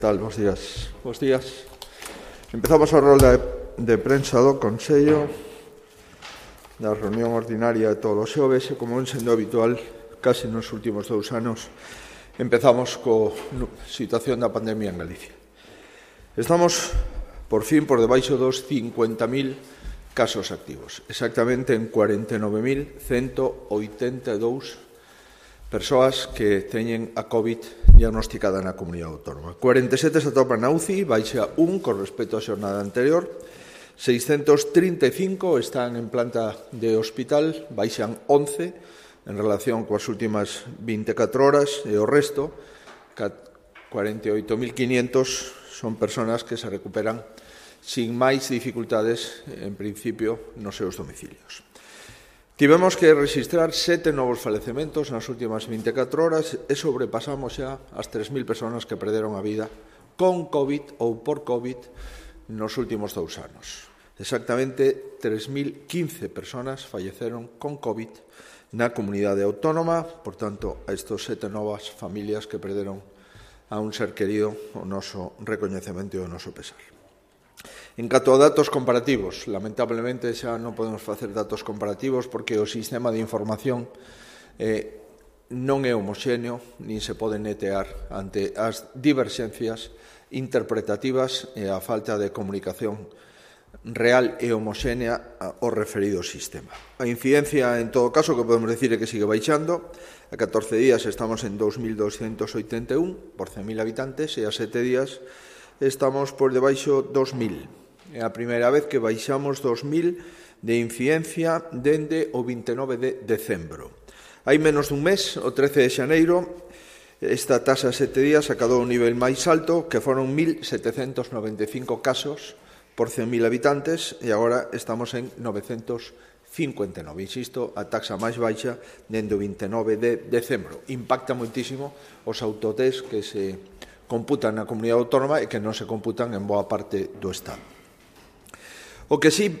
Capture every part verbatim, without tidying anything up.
Tal, bons días. Bos días. Empezamos a rolda de prensa do Consello da reunión ordinaria de todos os xoves e, como ven sendo habitual, casi nos últimos dous anos, empezamos co situación da pandemia en Galicia. Estamos, por fin, por debaixo dos cincuenta mil casos activos, exactamente en cuarenta e nove mil cento oitenta e dous persoas que teñen a COVID diagnosticada na comunidade autónoma. cuarenta e sete se atopan na U C I, baixa un con respecto á xornada anterior, seiscentos trinta e cinco están en planta de hospital, baixan once en relación coas últimas vinte e catro horas, e o resto, cuarenta e oito mil quinientos, son persoas que se recuperan sin máis dificultades, en principio, nos seus domicilios. Tivemos que registrar sete novos falecementos nas últimas vinte e catro horas e sobrepasamos xa as tres mil persoas que perderon a vida con COVID ou por COVID nos últimos dous anos. Exactamente tres mil quince persoas falleceron con COVID na comunidade autónoma, por tanto, a estes sete novas familias que perderon a un ser querido, o noso recoñecemento e o noso pesar. En canto a datos comparativos, lamentablemente xa non podemos facer datos comparativos porque o sistema de información eh, non é homoxéneo nin se pode netear ante as diverxencias interpretativas e a falta de comunicación real e homoxénea ao referido sistema. A incidencia, en todo caso, que podemos decir é que sigue baixando. A catorce días estamos en dous mil doscientos oitenta e un por cen mil habitantes e a sete días estamos por debaixo dos mil. É a primeira vez que baixamos dos mil de incidencia dende o vinte e nove de decembro. Hai menos dun mes, o trece de xaneiro, esta taxa a sete días acadou un nivel máis alto, que foron mil setecentos noventa e cinco casos por cen mil habitantes, e agora estamos en novecentos cincuenta e nove. Insisto, a taxa máis baixa dende o vinte e nove de decembro. Impacta moitísimo os autotest que se computan na comunidade autónoma e que non se computan en boa parte do Estado. O que sí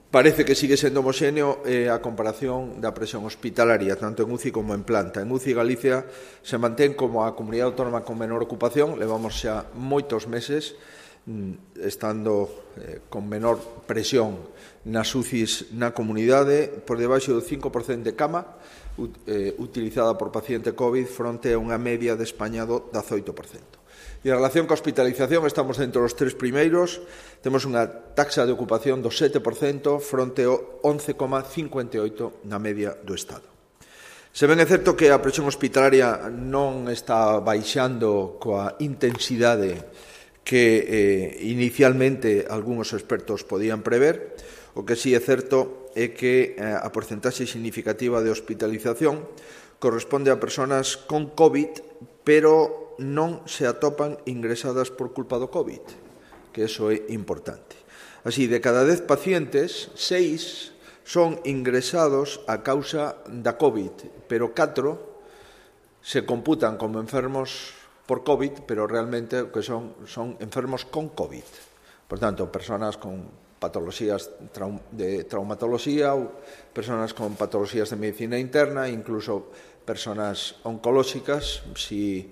parece que sigue sendo homoxéneo é a comparación da presión hospitalaria, tanto en U C I como en planta. En U C I Galicia se mantén como a comunidade autónoma con menor ocupación, levamos xa moitos meses estando eh, con menor presión nas U C Is na comunidade, por debaixo do cinco por cento de cama eh, utilizada por paciente COVID fronte a unha media de España do dezoito por cento. E en relación coa hospitalización estamos dentro dos tres primeiros, temos unha taxa de ocupación do sete por cento fronte ao once coma cincuenta e oito por cento na media do Estado. Se ben é certo que a presión hospitalaria non está baixando coa intensidade que eh, inicialmente algúns expertos podían prever, o que sí é certo é que eh, a porcentaxe significativa de hospitalización corresponde a persoas con COVID, pero non se atopan ingresadas por culpa do COVID, que eso é importante. Así, de cada dez pacientes, seis son ingresados a causa da COVID, pero catro se computan como enfermos por COVID, pero realmente que son, son enfermos con COVID. Por tanto, persoas con patologías de traumatología ou persoas con patologías de medicina interna, incluso persoas oncolóxicas. Si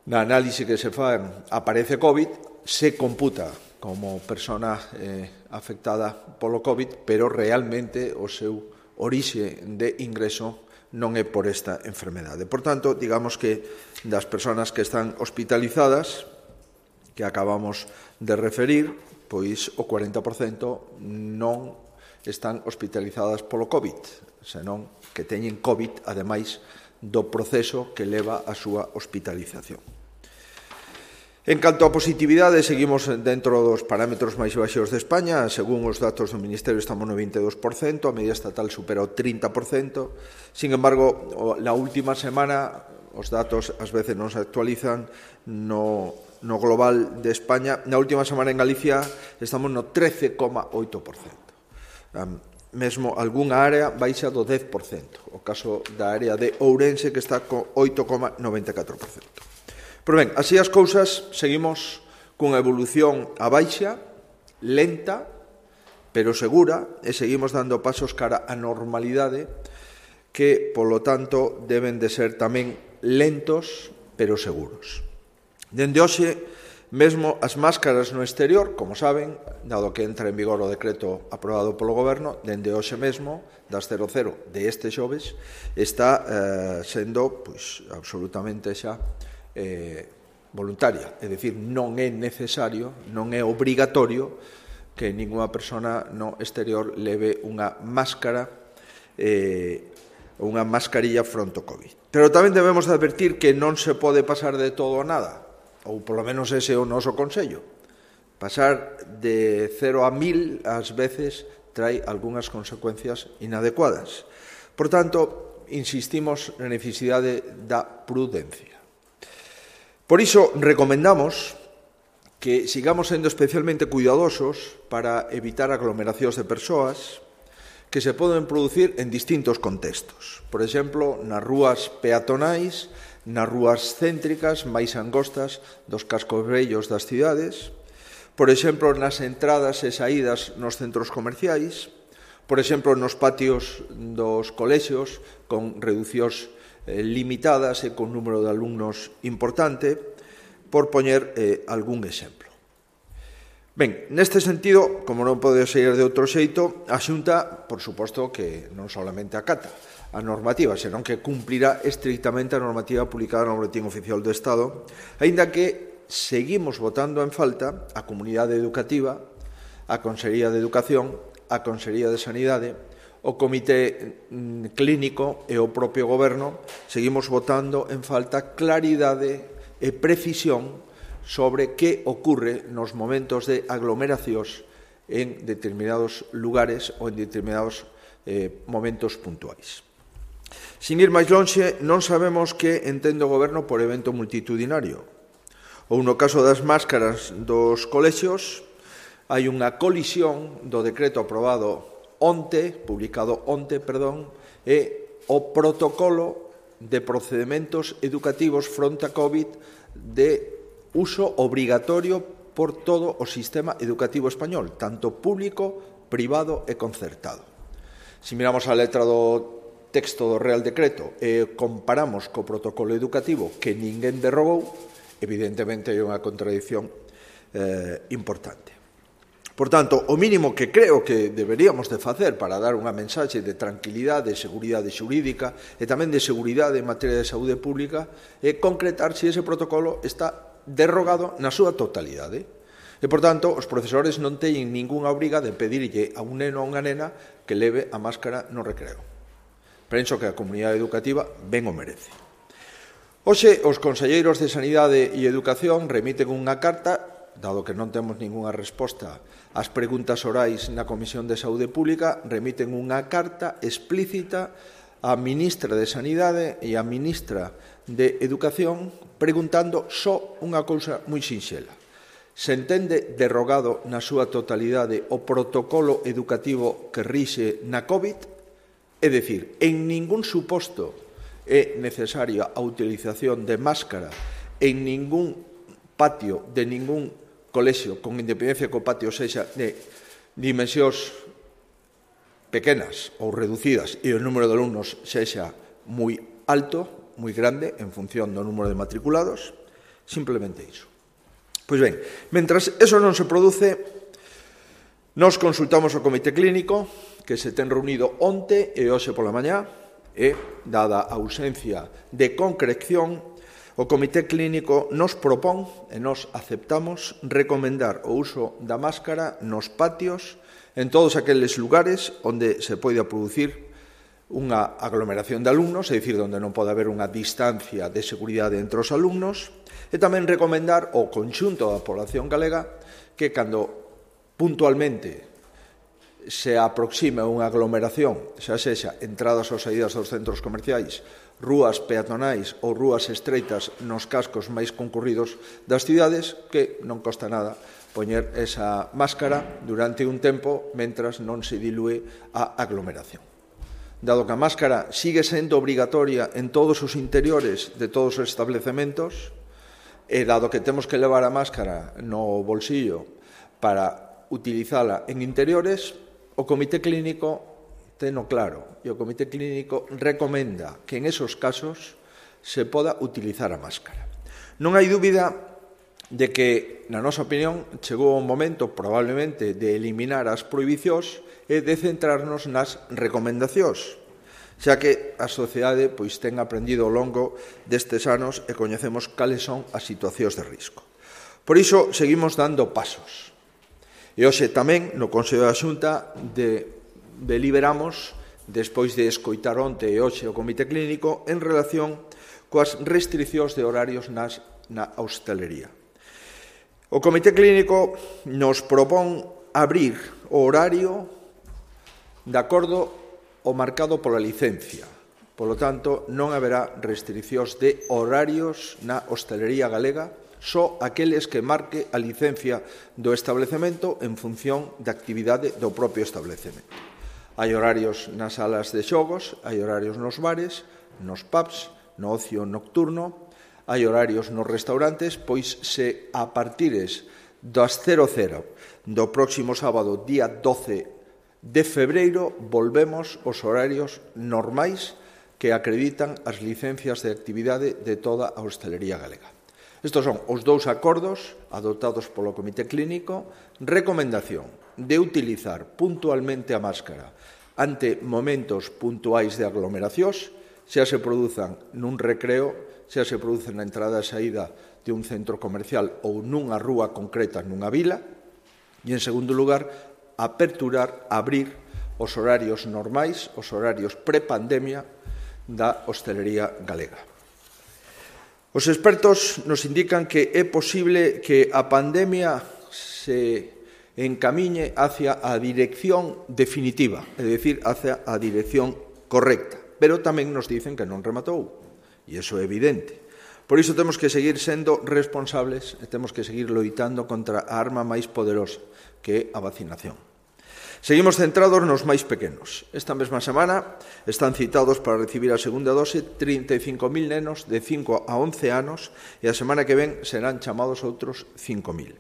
na análise que se fan aparece COVID, se computa como persona eh, afectada polo COVID, pero realmente o seu orixe de ingreso non é por esta enfermedade. Por tanto, digamos que das persoas que están hospitalizadas, que acabamos de referir, pois o cuarenta por cento non están hospitalizadas polo COVID, senón que teñen COVID, ademais do proceso que leva a súa hospitalización. En canto a positividade, seguimos dentro dos parámetros máis baixos de España. Según os datos do Ministerio, estamos no vinte e dous por cento, a media estatal supera o trinta por cento. Sin embargo, na última semana, os datos ás veces non se actualizan no, no global de España. Na última semana en Galicia estamos no trece coma oito por cento. Um, mesmo algunha área baixa do dez por cento. O caso da área de Ourense, que está co oito coma noventa e catro por cento. Pero ben, así as cousas, seguimos cunha evolución a baixa, lenta, pero segura, e seguimos dando pasos cara á normalidade, que, polo tanto, deben de ser tamén lentos, pero seguros. Dende hoxe, mesmo as máscaras no exterior, como saben, dado que entra en vigor o decreto aprobado polo Goberno, dende hoxe mesmo, das cero cero de este xoves, está eh, sendo pois, absolutamente xa eh, voluntaria. É dicir, non é necesario, non é obrigatorio que ninguna persona no exterior leve unha máscara, eh, unha mascarilla fronte ao COVID. Pero tamén debemos advertir que non se pode pasar de todo a nada, ou polo menos ese é o noso consello. Pasar de cero a mil, ás veces, trae algunhas consecuencias inadecuadas. Por tanto, insistimos na necesidade da prudencia. Por iso, recomendamos que sigamos sendo especialmente cuidadosos para evitar aglomeracións de persoas que se poden producir en distintos contextos. Por exemplo, nas rúas peatonais, nas rúas céntricas máis angostas dos cascos vellos das cidades, por exemplo, nas entradas e saídas nos centros comerciais, por exemplo, nos patios dos colexios con reducións eh, limitadas e con número de alumnos importante, por poñer eh, algún exemplo. Ben, neste sentido, como non pode ser de outro xeito, a Xunta, por suposto, que non solamente acata a normativa, senón que cumplirá estrictamente a normativa publicada no Boletín Oficial do Estado, aínda que seguimos votando en falta a comunidade educativa, a Consellería de Educación, a Consellería de Sanidade, o Comité Clínico e o propio Goberno, seguimos votando en falta claridade e precisión sobre que ocorre nos momentos de aglomeracións en determinados lugares ou en determinados eh, momentos puntuais. Sin ir máis lonxe, non sabemos que entende o Goberno por evento multitudinario. Ou no caso das máscaras dos colexios, hai unha colisión do decreto aprobado onte, publicado onte, perdón, e o protocolo de procedementos educativos fronte a COVID de uso obrigatorio por todo o sistema educativo español, tanto público, privado e concertado. Se miramos a letra do texto do Real Decreto e comparamos co protocolo educativo que ninguén derrogou, evidentemente hai unha contradición eh, importante. Por tanto, o mínimo que creo que deberíamos de facer para dar unha mensaxe de tranquilidade, de seguridade xurídica e tamén de seguridade en materia de saúde pública é concretar se ese protocolo está derrogado na súa totalidade. E, por tanto, os profesores non teñen ningunha obriga de pedirlle a un neno ou unha nena que leve a máscara no recreo. Penso que a comunidade educativa ben o merece. Hoxe, os conselleiros de Sanidade e Educación remiten unha carta, dado que non temos ningunha resposta ás preguntas orais na Comisión de Saúde Pública, remiten unha carta explícita á ministra de Sanidade e á ministra de Educación preguntando só unha cousa moi sinxela. Se entende derrogado na súa totalidade o protocolo educativo que rixe na COVID? É dicir, en ningún suposto é necesaria a utilización de máscara en ningún patio de ningún colexio, con independencia que o patio sexa de dimensións pequenas ou reducidas e o número de alumnos sexa moi alto, moi grande, en función do número de matriculados, simplemente iso. Pois ben, mentras eso non se produce, nos consultamos o Comité Clínico, que se ten reunido onte e hoxe pola mañá, e, dada a ausencia de concreción, o Comité Clínico nos propón, e nos aceptamos, recomendar o uso da máscara nos patios en todos aqueles lugares onde se poida producir unha aglomeración de alumnos, é dicir, onde non pode haber unha distancia de seguridade entre os alumnos, e tamén recomendar ao conxunto da población galega que cando puntualmente se aproxima unha aglomeración, xa sexa entradas ou saídas dos centros comerciais, rúas peatonais ou rúas estreitas nos cascos máis concurridos das cidades, que non costa nada poñer esa máscara durante un tempo mentras non se dilúe a aglomeración. Dado que a máscara sigue sendo obrigatoria en todos os interiores de todos os establecementos, e dado que temos que levar a máscara no bolsillo para utilizala en interiores, o Comité Clínico teno claro, e o Comité Clínico recomenda que en esos casos se poda utilizar a máscara. Non hai dúbida de que, na nosa opinión, chegou o momento, probablemente, de eliminar as prohibicións e de centrarnos nas recomendacións, xa que a sociedade pois, ten aprendido ao longo destes anos e coñecemos cales son as situacións de risco. Por iso, seguimos dando pasos. E hoxe tamén, no Consello da Xunta, de, deliberamos, despois de escoitar onte e hoxe o Comité Clínico, en relación coas restriccións de horarios nas, na hostelería. O Comité Clínico nos propón abrir o horario de acordo ao marcado pola licencia. Polo tanto, non haberá restriccións de horarios na hostelería galega, só aqueles que marque a licencia do establecemento en función da actividade do propio establecemento. Hai horarios nas salas de xogos, hai horarios nos bares, nos pubs, no ocio nocturno, hai horarios nos restaurantes, pois se a partires das cero cero do próximo sábado, día doce de febreiro, volvemos aos horarios normais que acreditan as licencias de actividade de toda a hostelería galega. Estos son os dous acordos adoptados polo Comité Clínico. Recomendación de utilizar puntualmente a máscara ante momentos puntuais de aglomeracións, xa se produzan nun recreo, xa se produzan na entrada e saída de un centro comercial ou nunha rúa concreta nunha vila. E, en segundo lugar, aperturar, abrir os horarios normais, os horarios prepandemia da hostelería galega. Os expertos nos indican que é posible que a pandemia se encamiñe hacia a dirección definitiva, é dicir, hacia a dirección correcta, pero tamén nos dicen que non rematou, e iso é evidente. Por iso temos que seguir sendo responsables e temos que seguir loitando contra a arma máis poderosa, que é a vacinación. Seguimos centrados nos máis pequenos. Esta mesma semana están citados para recibir a segunda dose trinta e cinco mil nenos de cinco a once anos e a semana que ven serán chamados outros cinco mil.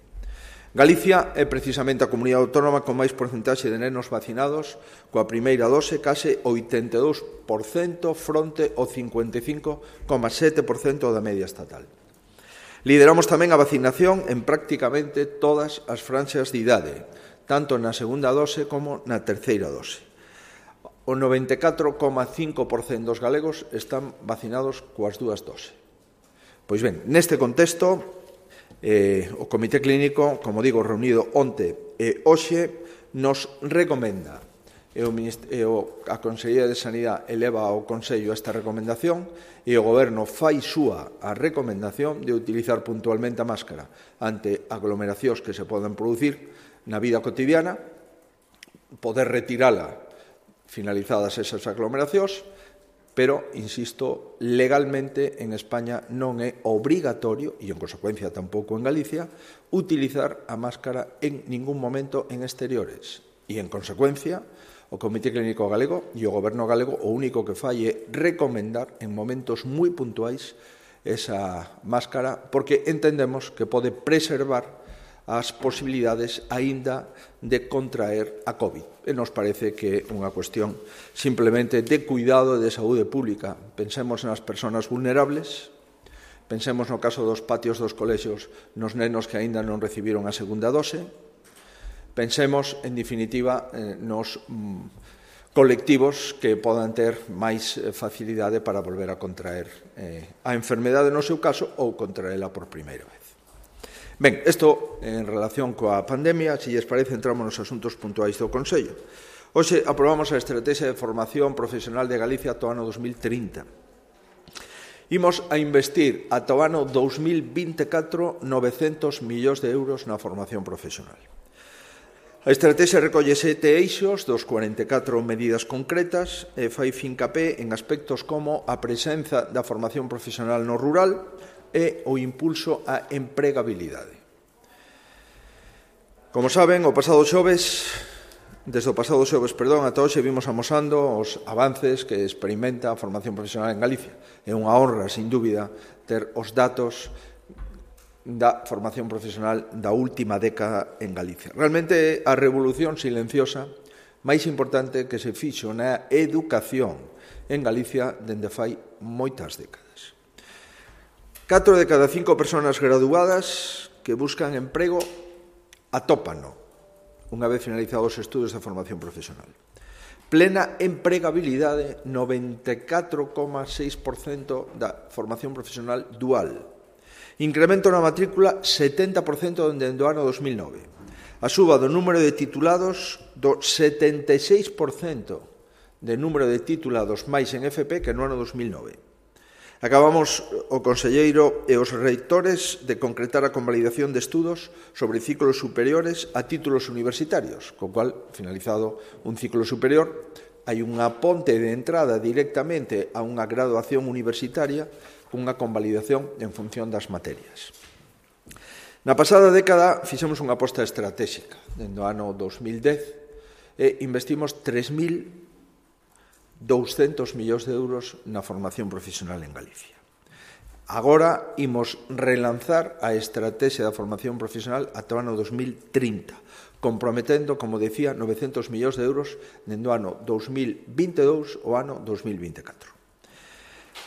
Galicia é precisamente a comunidade autónoma con máis porcentaxe de nenos vacinados coa primeira dose, case oitenta e dous por cento fronte ao cincuenta e cinco coma sete por cento da media estatal. Lideramos tamén a vacinación en prácticamente todas as franxas de idade, tanto na segunda dose como na terceira dose. O noventa e catro coma cinco por cento dos galegos están vacinados coas dúas doses. Pois ben, neste contexto, eh, o Comité Clínico, como digo, reunido onte e hoxe, nos recomenda, e o, e o, a Consellería de Sanidade eleva ao Consello esta recomendación e o Goberno fai súa a recomendación de utilizar puntualmente a máscara ante aglomeracións que se poden producir na vida cotidiana, poder retirala finalizadas esas aglomeracións, pero, insisto, legalmente en España non é obrigatorio, e en consecuencia tampouco en Galicia, utilizar a máscara en ningún momento en exteriores. E, en consecuencia, o Comité Clínico Galego e o Goberno galego o único que fai é recomendar en momentos moi puntuais esa máscara, porque entendemos que pode preservar as posibilidades aínda de contraer a COVID. E nos parece que é unha cuestión simplemente de cuidado e de saúde pública. Pensemos nas persoas vulnerables, pensemos no caso dos patios dos colexios nos nenos que aínda non recibiron a segunda dose, pensemos, en definitiva, nos colectivos que podan ter máis facilidade para volver a contraer a enfermedade no seu caso ou contraela por primeira vez. Ben, isto en relación coa pandemia, se lles parece, entramos nos asuntos puntuais do Consello. Hoxe aprobamos a Estrategia de Formación Profesional de Galicia ata o ano dos mil trinta. Imos a investir ata o ano dos mil vinte e catro novecentos millóns de euros na formación profesional. A estrategia recolle sete eixos dos cuarenta e catro medidas concretas e fai fincapé en aspectos como a presenza da formación profesional no rural e o impulso á empregabilidade. Como saben, o pasado xoves, desde o pasado xoves, perdón, ata hoxe vimos amosando os avances que experimenta a formación profesional en Galicia. É unha honra, sin dúbida, ter os datos da formación profesional da última década en Galicia. Realmente é a revolución silenciosa máis importante que se fixo na educación en Galicia dende fai moitas décadas. Catro de cada cinco persoas graduadas que buscan emprego atópano, unha vez finalizados os estudos de formación profesional. Plena empregabilidade, noventa e catro coma seis por cento da formación profesional dual. Incremento na matrícula, setenta por cento dende o ano dos mil nove. A suba do número de titulados do setenta e seis por cento de número de titulados máis en F P que no ano dos mil nove. Acabamos o conselleiro e os reitores de concretar a convalidación de estudos sobre ciclos superiores a títulos universitarios, co cual, finalizado un ciclo superior, hai unha ponte de entrada directamente a unha graduación universitaria cunha convalidación en función das materias. Na pasada década fixemos unha aposta estratégica. Dende o ano dos mil dez e investimos tres mil douscentos millóns de euros na formación profesional en Galicia. Agora imos relanzar a estrategia da formación profesional ata o ano dos mil trinta, comprometendo, como decía, novecentos millóns de euros dende o ano dos mil vinte e dous ao ano dos mil vinte e catro.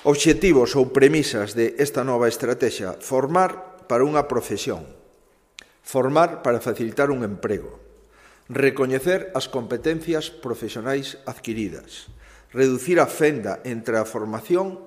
Obxectivos ou premisas de esta nova estrategia: formar para unha profesión, formar para facilitar un emprego, recoñecer as competencias profesionais adquiridas, reducir a fenda entre a formación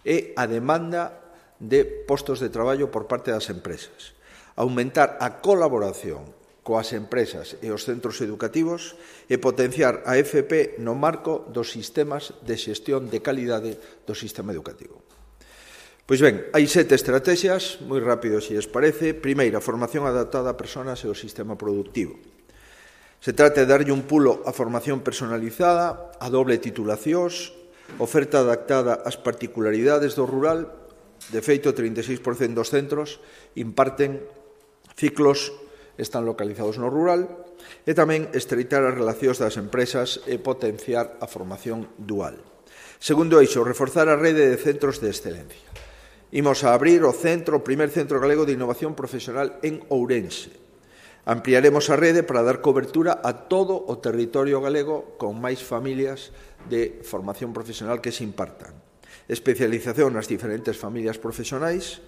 e a demanda de postos de traballo por parte das empresas, aumentar a colaboración coas empresas e os centros educativos e potenciar a F P no marco dos sistemas de xestión de calidade do sistema educativo. Pois ben, hai sete estrategias, moi rápido se lles parece. Primeira, formación adaptada a persoas e ao sistema productivo. Se trata de darlle un pulo á formación personalizada, a doble titulacións, oferta adaptada ás particularidades do rural. De feito, trinta e seis por cento dos centros imparten ciclos, están localizados no rural, e tamén estreitar as relacións das empresas e potenciar a formación dual. Segundo eixo, reforzar a rede de centros de excelencia. Imos a abrir o centro, o primer centro galego de innovación profesional en Ourense. Ampliaremos a rede para dar cobertura a todo o territorio galego con máis familias de formación profesional que se impartan. Especialización nas diferentes familias profesionais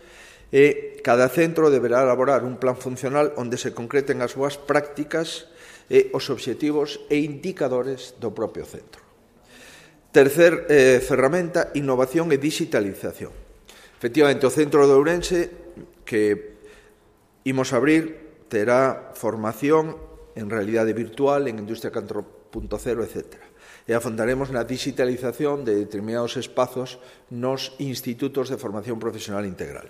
e cada centro deberá elaborar un plan funcional onde se concreten as súas prácticas e os obxectivos e indicadores do propio centro. Tercer eh, ferramenta, innovación e digitalización. Efectivamente, o centro de Ourense que imos abrir terá formación en realidade virtual, en Industria catro punto cero, etcétera. E afondaremos na digitalización de determinados espazos nos institutos de formación profesional integral.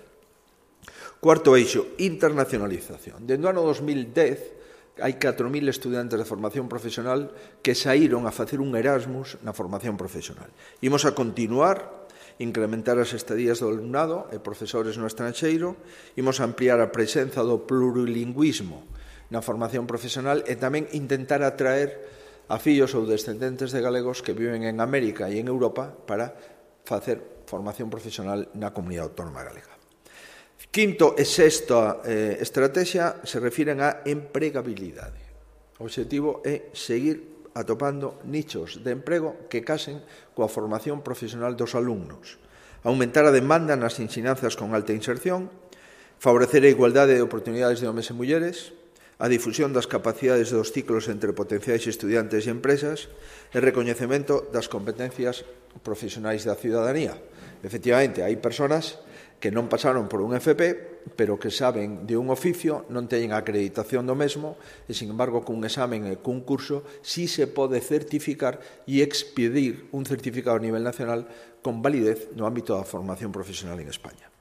Cuarto eixo, internacionalización. Dende o ano dos mil dez hai catro mil estudantes de formación profesional que saíron a facer un Erasmus na formación profesional. Imos a continuar incrementar as estadías do alumnado e profesores no estranxeiro, imos ampliar a presenza do plurilingüismo na formación profesional e tamén intentar atraer a fillos ou descendentes de galegos que viven en América e en Europa para facer formación profesional na comunidade autónoma galega. Quinto e sexta eh, estrategia se refiren á empregabilidade. O obxectivo é seguir atopando nichos de emprego que casen coa formación profesional dos alumnos, aumentar a demanda nas ensinanzas con alta inserción, favorecer a igualdade de oportunidades de homes e mulleres, a difusión das capacidades dos ciclos entre potenciais estudiantes e empresas e recoñecemento das competencias profesionais da ciudadanía. Efectivamente, hai persoas que non pasaron por un F P, pero que saben de un oficio, non teñen a acreditación do mesmo, e, sin embargo, cun examen e cun curso, sí se pode certificar e expedir un certificado a nivel nacional con validez no ámbito da formación profesional en España.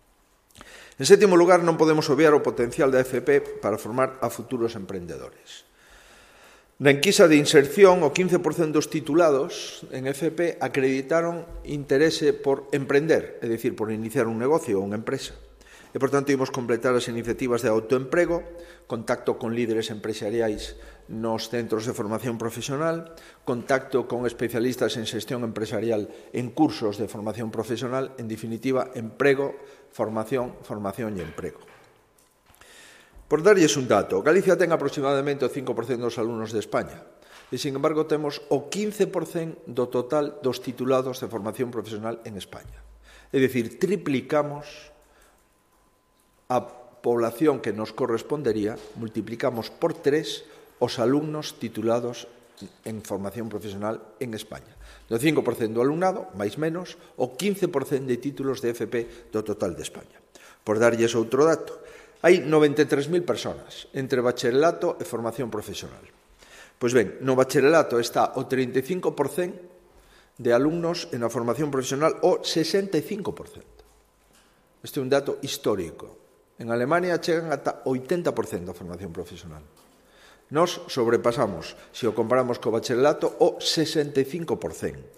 En sétimo lugar, non podemos obviar o potencial da F P para formar a futuros emprendedores. Na enquisa de inserción, o quince por cento dos titulados en F P acreditaron interese por emprender, é dicir, por iniciar un negocio ou unha empresa. E, por tanto, imos completar as iniciativas de autoemprego, contacto con líderes empresariais nos centros de formación profesional, contacto con especialistas en xestión empresarial en cursos de formación profesional, en definitiva, emprego, formación, formación e emprego. Por darlles un dato, Galicia ten aproximadamente o cinco por cento dos alumnos de España e, sin embargo, temos o quince por cento do total dos titulados de formación profesional en España. É dicir, triplicamos a población que nos correspondería, multiplicamos por tres os alumnos titulados en formación profesional en España. Do cinco por cento do alumnado, máis menos, o quince por cento de títulos de F P do total de España. Por darlles outro dato, hai noventa e tres mil persoas entre bacharelato e formación profesional. Pois ben, no bacharelato está o trinta e cinco por cento de alumnos en a formación profesional o sesenta e cinco por cento. Este é un dato histórico. En Alemania chegan ata oitenta por cento da formación profesional. Nos sobrepasamos, se o comparamos co bacharelato, o sesenta e cinco por cento.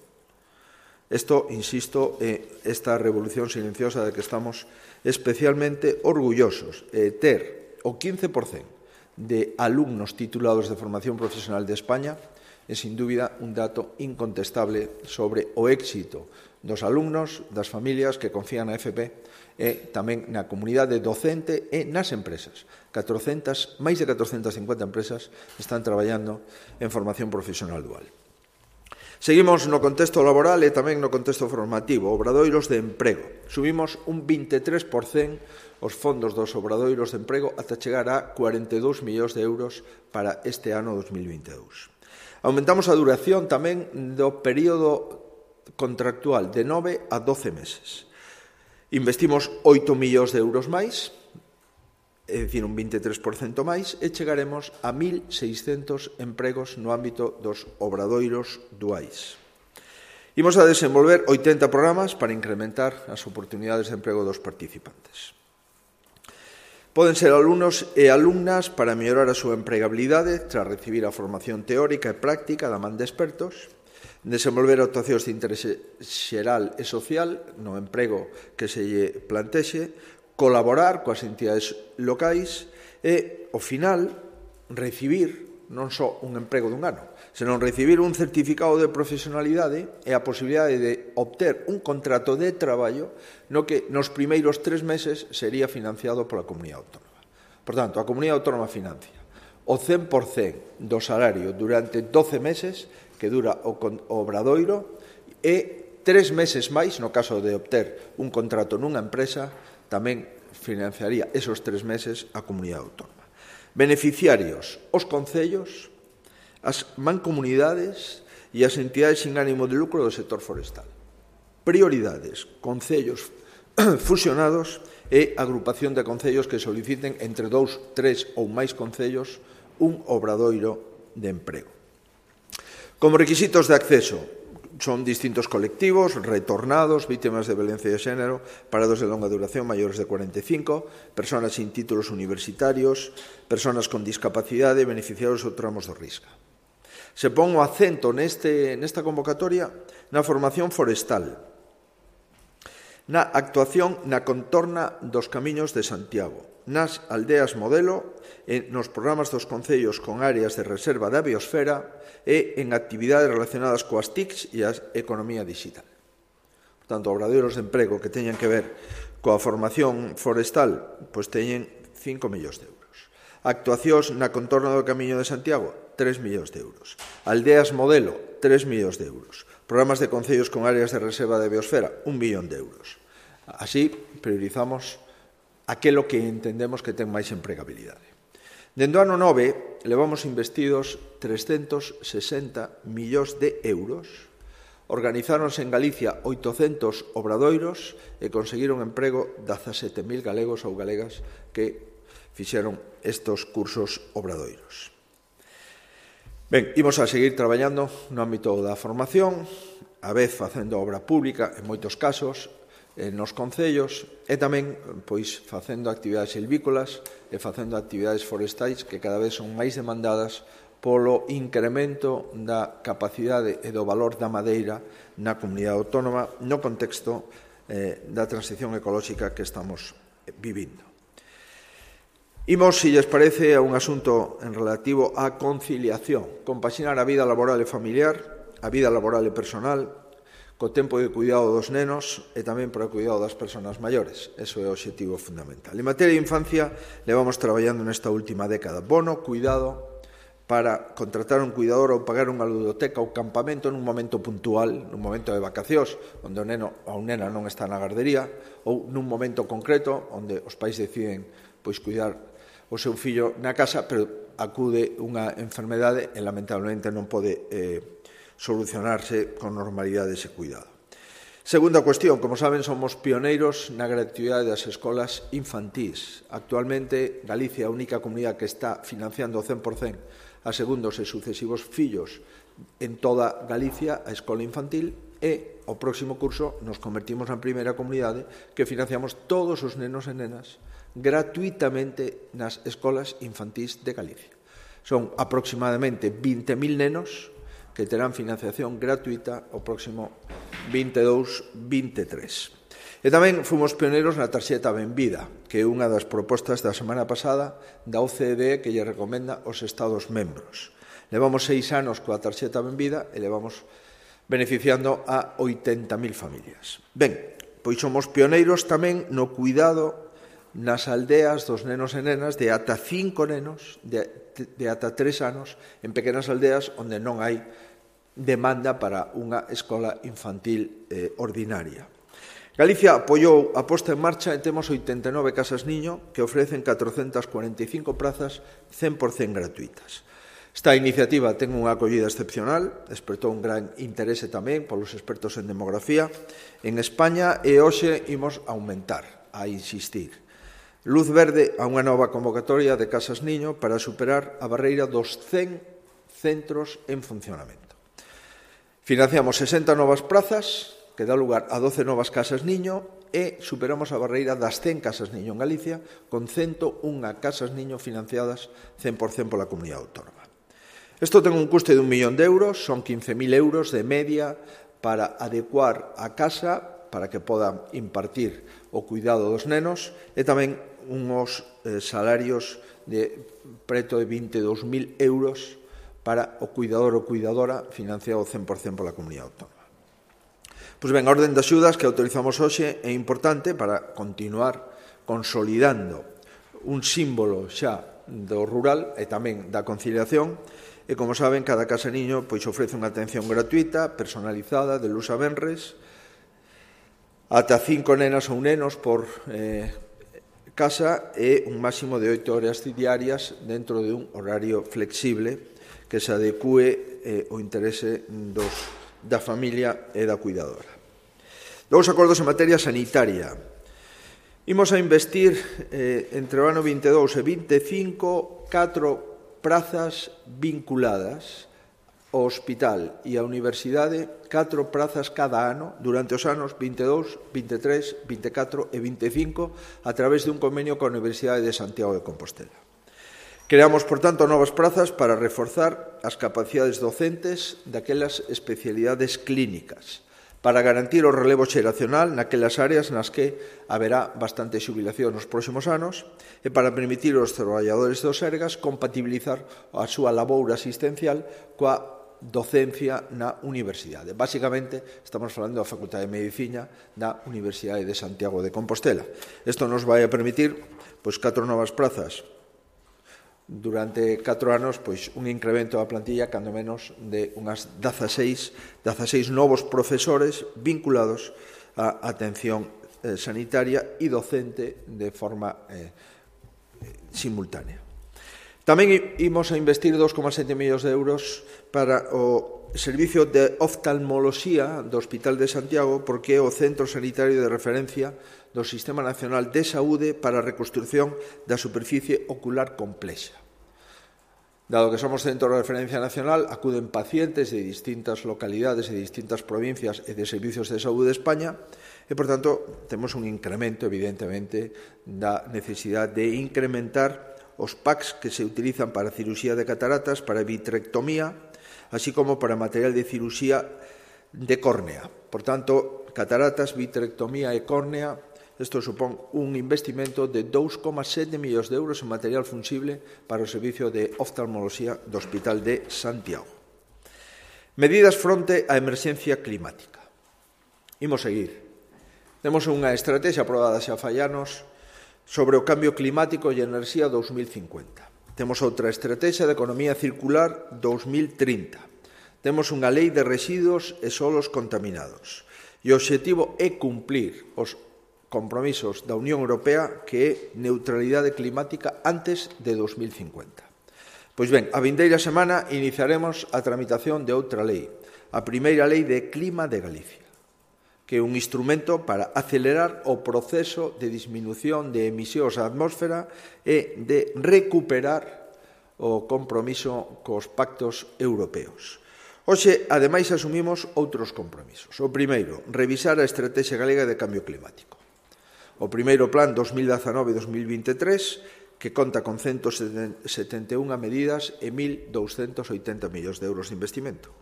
Isto, insisto, é esta revolución silenciosa de que estamos especialmente orgullosos. É ter o quince por cento de alumnos titulados de formación profesional de España é, sin dúbida, un dato incontestable sobre o éxito dos alumnos, das familias que confían na F P e tamén na comunidade docente e nas empresas. catorcentas, máis de catorcentas cincuenta empresas están traballando en formación profesional dual. Seguimos no contexto laboral e tamén no contexto formativo. Obradoiros de emprego. Subimos un vinte e tres por cento os fondos dos obradoiros de emprego ata chegar a cuarenta e dous millóns de euros para este ano dos mil vinte e dous. Aumentamos a duración tamén do período contractual de nove a doce meses. Investimos oito millóns de euros máis, é dicir, un vinte e tres por cento máis, e chegaremos a mil seiscentos empregos no ámbito dos obradoiros duais. Imos a desenvolver oitenta programas para incrementar as oportunidades de emprego dos participantes. Poden ser alumnos e alumnas para mellorar a súa empregabilidade tras recibir a formación teórica e práctica da man de expertos, desenvolver actuacións de interese xeral e social no emprego que se lle plantexe, colaborar coas entidades locais e, ao final, recibir non só un emprego dun ano, senón recibir un certificado de profesionalidade e a posibilidade de obter un contrato de traballo no que nos primeiros tres meses sería financiado pola Comunidade Autónoma. Por tanto, a Comunidade Autónoma financia o cen por cento do salario durante doce meses que dura o obradoiro e tres meses máis, no caso de obter un contrato nunha empresa, tamén financiaría esos tres meses a Comunidade Autónoma. Beneficiarios, os concellos, as mancomunidades e as entidades sin ánimo de lucro do sector forestal. Prioridades, concellos fusionados e agrupación de concellos que soliciten entre dous, tres ou máis concellos un obradoiro de emprego. Como requisitos de acceso, son distintos colectivos, retornados, vítimas de violencia de xénero, parados de longa duración maiores de cuarenta e cinco, persoas sin títulos universitarios, persoas con discapacidade, beneficiarios ou tramos do risco. Se pon o acento neste, nesta convocatoria na formación forestal, na actuación na contorna dos camiños de Santiago, nas aldeas modelo e nos programas dos concellos con áreas de reserva da biosfera e en actividades relacionadas coas T I Cs e a economía digital. Por tanto, obradoiros de emprego que teñan que ver coa formación forestal, pois teñen cinco millóns de euros. Actuacións na contorna do Camiño de Santiago, tres millóns de euros. Aldeas modelo, tres millóns de euros. Programas de concellos con áreas de reserva de biosfera, un millón de euros. Así, priorizamos aquelo que entendemos que ten máis empregabilidade. Dende o ano nove, levamos investidos trescentos sesenta millóns de euros, organizáronse en Galicia oitocentos obradoiros e conseguiron emprego dezasete mil galegos ou galegas que fixeron estes cursos obradoiros. Ben, imos a seguir traballando no ámbito da formación, a vez facendo obra pública, en moitos casos, nos concellos e tamén pois facendo actividades silvícolas e facendo actividades forestais que cada vez son máis demandadas polo incremento da capacidade e do valor da madeira na comunidade autónoma no contexto eh, da transición ecolóxica que estamos vivindo. Imos, se lles parece, a un asunto en relativo á conciliación, compaxinar a vida laboral e familiar, a vida laboral e personal, co tempo de cuidado dos nenos e tamén para o cuidado das persoas maiores. Eso é o obxectivo fundamental. En materia de infancia, levamos traballando nesta última década. Bono, cuidado, para contratar un cuidador ou pagar unha ludoteca ou campamento nun momento puntual, nun momento de vacacións, onde o neno ou nena non está na gardería, ou nun momento concreto, onde os pais deciden pois cuidar o seu fillo na casa, pero acude unha enfermedade e lamentablemente non pode eh, solucionarse con normalidade ese cuidado. Segunda cuestión, como saben, somos pioneiros na gratuidade das escolas infantís. Actualmente, Galicia é a única comunidade que está financiando ao cen por cento a segundos e sucesivos fillos en toda Galicia a escola infantil e ao próximo curso nos convertimos na primeira comunidade que financiamos todos os nenos e nenas gratuitamente nas escolas infantís de Galicia. Son aproximadamente vinte mil nenos que terán financiación gratuita o próximo vinte e dous vinte e tres. E tamén fomos pioneiros na tarxeta Benvida, que é unha das propostas da semana pasada da O C D E que lle recomenda aos Estados membros. Levamos seis anos coa tarxeta Benvida e levamos beneficiando a oitenta mil familias. Ben, pois somos pioneiros tamén no cuidado nas aldeas dos nenos e nenas de ata cinco nenos, de, de ata tres anos, en pequenas aldeas onde non hai demanda para unha escola infantil eh, ordinaria. Galicia apoiou a posta en marcha e temos oitenta e nove casas niño que ofrecen catrocentas cuarenta e cinco prazas cen por cento gratuitas. Esta iniciativa ten unha acollida excepcional, despertou un gran interese tamén polos expertos en demografía en España e hoxe imos aumentar, a insistir. Luz verde a unha nova convocatoria de casas niño para superar a barreira dos cen centros en funcionamento. Financiamos sesenta novas prazas, que dá lugar a doce novas casas niño, e superamos a barreira das cen casas niño en Galicia, con ciento un casas niño financiadas cen por cento pola comunidade autónoma. Isto ten un custe de un millón de euros, son quince mil euros de media para adecuar a casa, para que podan impartir o cuidado dos nenos, e tamén unhos eh, salarios de preto de vinte e dous mil euros para o cuidador ou cuidadora financiado cen por cento pola comunidade autónoma. Pois ben, a orden de axudas que autorizamos hoxe é importante para continuar consolidando un símbolo xa do rural e tamén da conciliación e, como saben, cada casa niño pois ofrece unha atención gratuita, personalizada, de luz a venres, ata cinco nenas ou nenos por eh, casa e un máximo de oito horas diarias dentro de un horario flexible que se adecue eh, o interese dos, da familia e da cuidadora. Dous acordos en materia sanitaria. Imos a investir eh, entre o ano vinte e dous e vinte e cinco catro prazas vinculadas ao hospital e á universidade, catro prazas cada ano durante os anos vinte e dous, vinte e tres, vinte e catro e vinte e cinco a través de un convenio coa Universidade de Santiago de Compostela. Creamos, por tanto, novas prazas para reforzar as capacidades docentes daquelas especialidades clínicas, para garantir o relevo xeracional naquelas áreas nas que haberá bastante xubilación nos próximos anos e para permitir aos traballadores do Sergas compatibilizar a súa laboura asistencial coa docencia na universidade. Básicamente, estamos falando da Facultade de Medicina da Universidade de Santiago de Compostela. Isto nos vai a permitir pois, catro novas prazas durante catro anos, pois, un incremento da plantilla, cando menos, de unhas dezaseis, dezaseis novos profesores vinculados á atención eh, sanitaria e docente de forma eh, simultánea. Tamén imos a investir dos coma sete millóns de euros para o servicio de oftalmoloxía do Hospital de Santiago, porque é o centro sanitario de referencia do Sistema Nacional de Saúde para a reconstrucción da superficie ocular complexa. Dado que somos centro de referencia nacional, acuden pacientes de distintas localidades e de distintas provincias e de servicios de saúde de España e, por tanto, temos un incremento, evidentemente, da necesidade de incrementar os packs que se utilizan para cirurxía de cataratas, para vitrectomía, así como para material de cirurxía de córnea. Por tanto, cataratas, vitrectomía e córnea, isto supón un investimento de dous coma sete millóns de euros en material fungible para o servicio de oftalmoloxía do Hospital de Santiago. Medidas fronte á emerxencia climática. Imos seguir. Temos unha estrategia aprobada xa fai anos sobre o cambio climático e enerxía dous mil cincuenta. Temos outra estrategia de economía circular dous mil trinta. Temos unha lei de residuos e solos contaminados. E o obxectivo é cumplir os compromisos da Unión Europea, que é neutralidade climática antes de dos mil cincuenta. Pois ben, a vindeira semana iniciaremos a tramitación de outra lei, a primeira lei de clima de Galicia, que é un instrumento para acelerar o proceso de disminución de emisións á atmósfera e de recuperar o compromiso cos pactos europeos. Hoxe, ademais, asumimos outros compromisos. O primeiro, revisar a Estrategia Galega de Cambio Climático. O primeiro plan dos mil dezanove a dos mil veintitrés, que conta con ciento setenta e unha medidas e mil douscentos oitenta millóns de euros de investimento.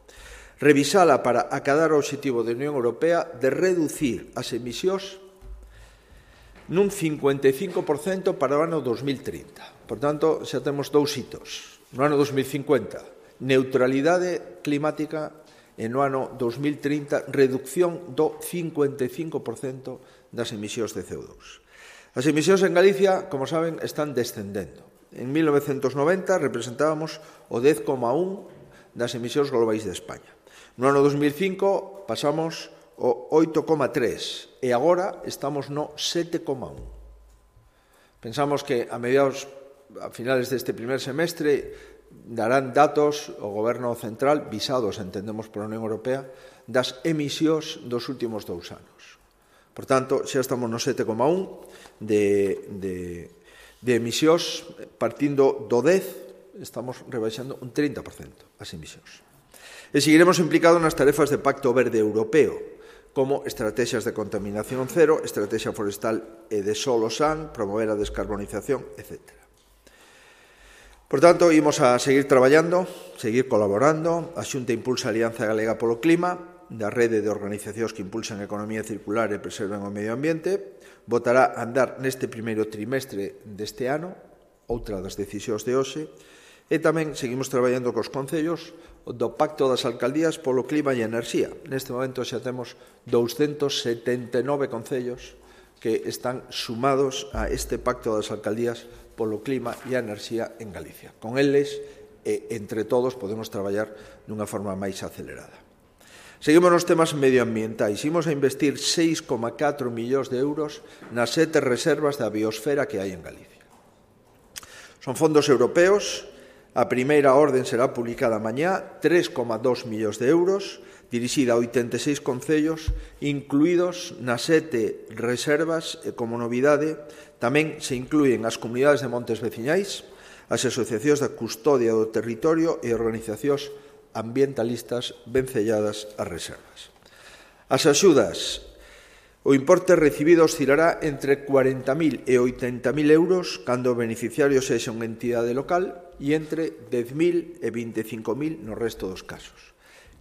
Revisala para acadar o obxectivo da Unión Europea de reducir as emisións nun cincuenta e cinco por cento para o ano dos mil trinta. Por tanto, xa temos dous hitos. No ano dos mil cincuenta, neutralidade climática, e no ano dos mil trinta, reducción do cincuenta e cinco por cento das emisións de C O dous. As emisións en Galicia, como saben, están descendendo. En mil novecentos noventa representábamos o dez coma un das emisións globais de España. No ano dos mil cinco pasamos o oito coma tres e agora estamos no sete coma un. Pensamos que a mediados, a finales deste primer semestre, darán datos o Goberno Central, visados, entendemos, pola Unión Europea, das emisións dos últimos dous anos. Por tanto, xa estamos no sete coma un de, de, de emisións, partindo do dez, estamos rebaixando un trinta por cento as emisións. E seguiremos implicados nas tarefas de Pacto Verde Europeo, como estrategias de contaminación cero, estrategia forestal e de solo san, promover a descarbonización, etcétera. Por tanto, imos a seguir traballando, seguir colaborando. A Xunta impulsa a Alianza Galega polo Clima, da rede de organizacións que impulsan a economía circular e preservan o medio ambiente. Votará a andar neste primeiro trimestre deste ano, outra das decisións de hoxe. E tamén seguimos traballando cos concellos do Pacto das Alcaldías polo Clima e Enerxía. Neste momento xa temos doscientos setenta e nove concellos que están sumados a este Pacto das Alcaldías polo clima e a enerxía en Galicia. Con eles, e entre todos, podemos traballar dunha forma máis acelerada. Seguimos nos temas medioambientais. Imos a investir seis coma catro millóns de euros nas sete reservas da biosfera que hai en Galicia. Son fondos europeos. A primeira orden será publicada mañá, tres coma dos millóns de euros, dirixida a oitenta e seis concellos, incluídos nas sete reservas, e como novidade, tamén se inclúen as comunidades de montes veciñais, as asociacións da custodia do territorio e organizacións ambientalistas vencelladas ás reservas. As axudas, o importe recibido oscilará entre cuarenta mil e oitenta mil euros cando o beneficiario sexa unha entidade local e entre dez mil e vinte e cinco mil no resto dos casos.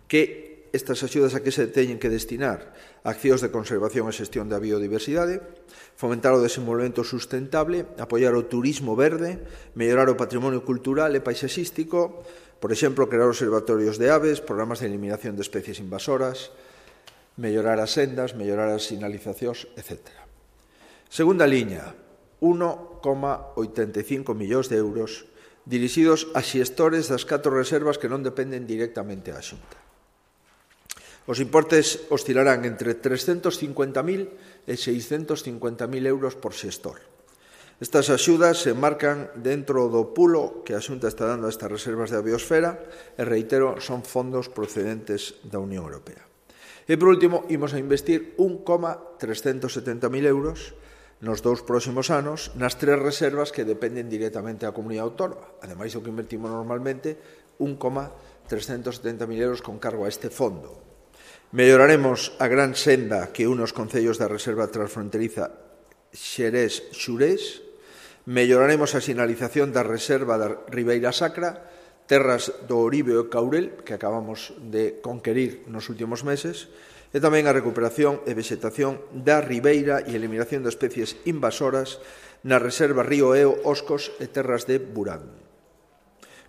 Que estas axudas a que se teñen que destinar? Accións de conservación e xestión da biodiversidade, fomentar o desenvolvemento sustentable, apoiar o turismo verde, mellorar o patrimonio cultural e paisaxístico, por exemplo, crear observatorios de aves, programas de eliminación de especies invasoras, mellorar as sendas, mellorar as sinalizacións, etcétera. Segunda liña, un coma oitenta e cinco millóns de euros dirixidos a xestores das catro reservas que non dependen directamente á Xunta. Os importes oscilarán entre trescentos cincuenta mil e seiscentos cincuenta mil euros por xestor. Estas axudas se marcan dentro do pulo que a Xunta está dando a estas reservas da biosfera e, reitero, son fondos procedentes da Unión Europea. E, por último, imos a investir un coma trescentos setenta mil euros nos dous próximos anos nas tres reservas que dependen directamente da comunidade autónoma. Ademais do que invertimos normalmente, un coma trescentos setenta mil euros con cargo a este fondo. Melloraremos a gran senda que une os concellos da reserva transfronteriza Xerés-Xurés, melloraremos a sinalización da reserva da Ribeira Sacra, terras do Oribe e Caurel, que acabamos de conquerir nos últimos meses, e tamén a recuperación e vexetación da ribeira e eliminación de especies invasoras na reserva Río Eo, Oscos e terras de Burán.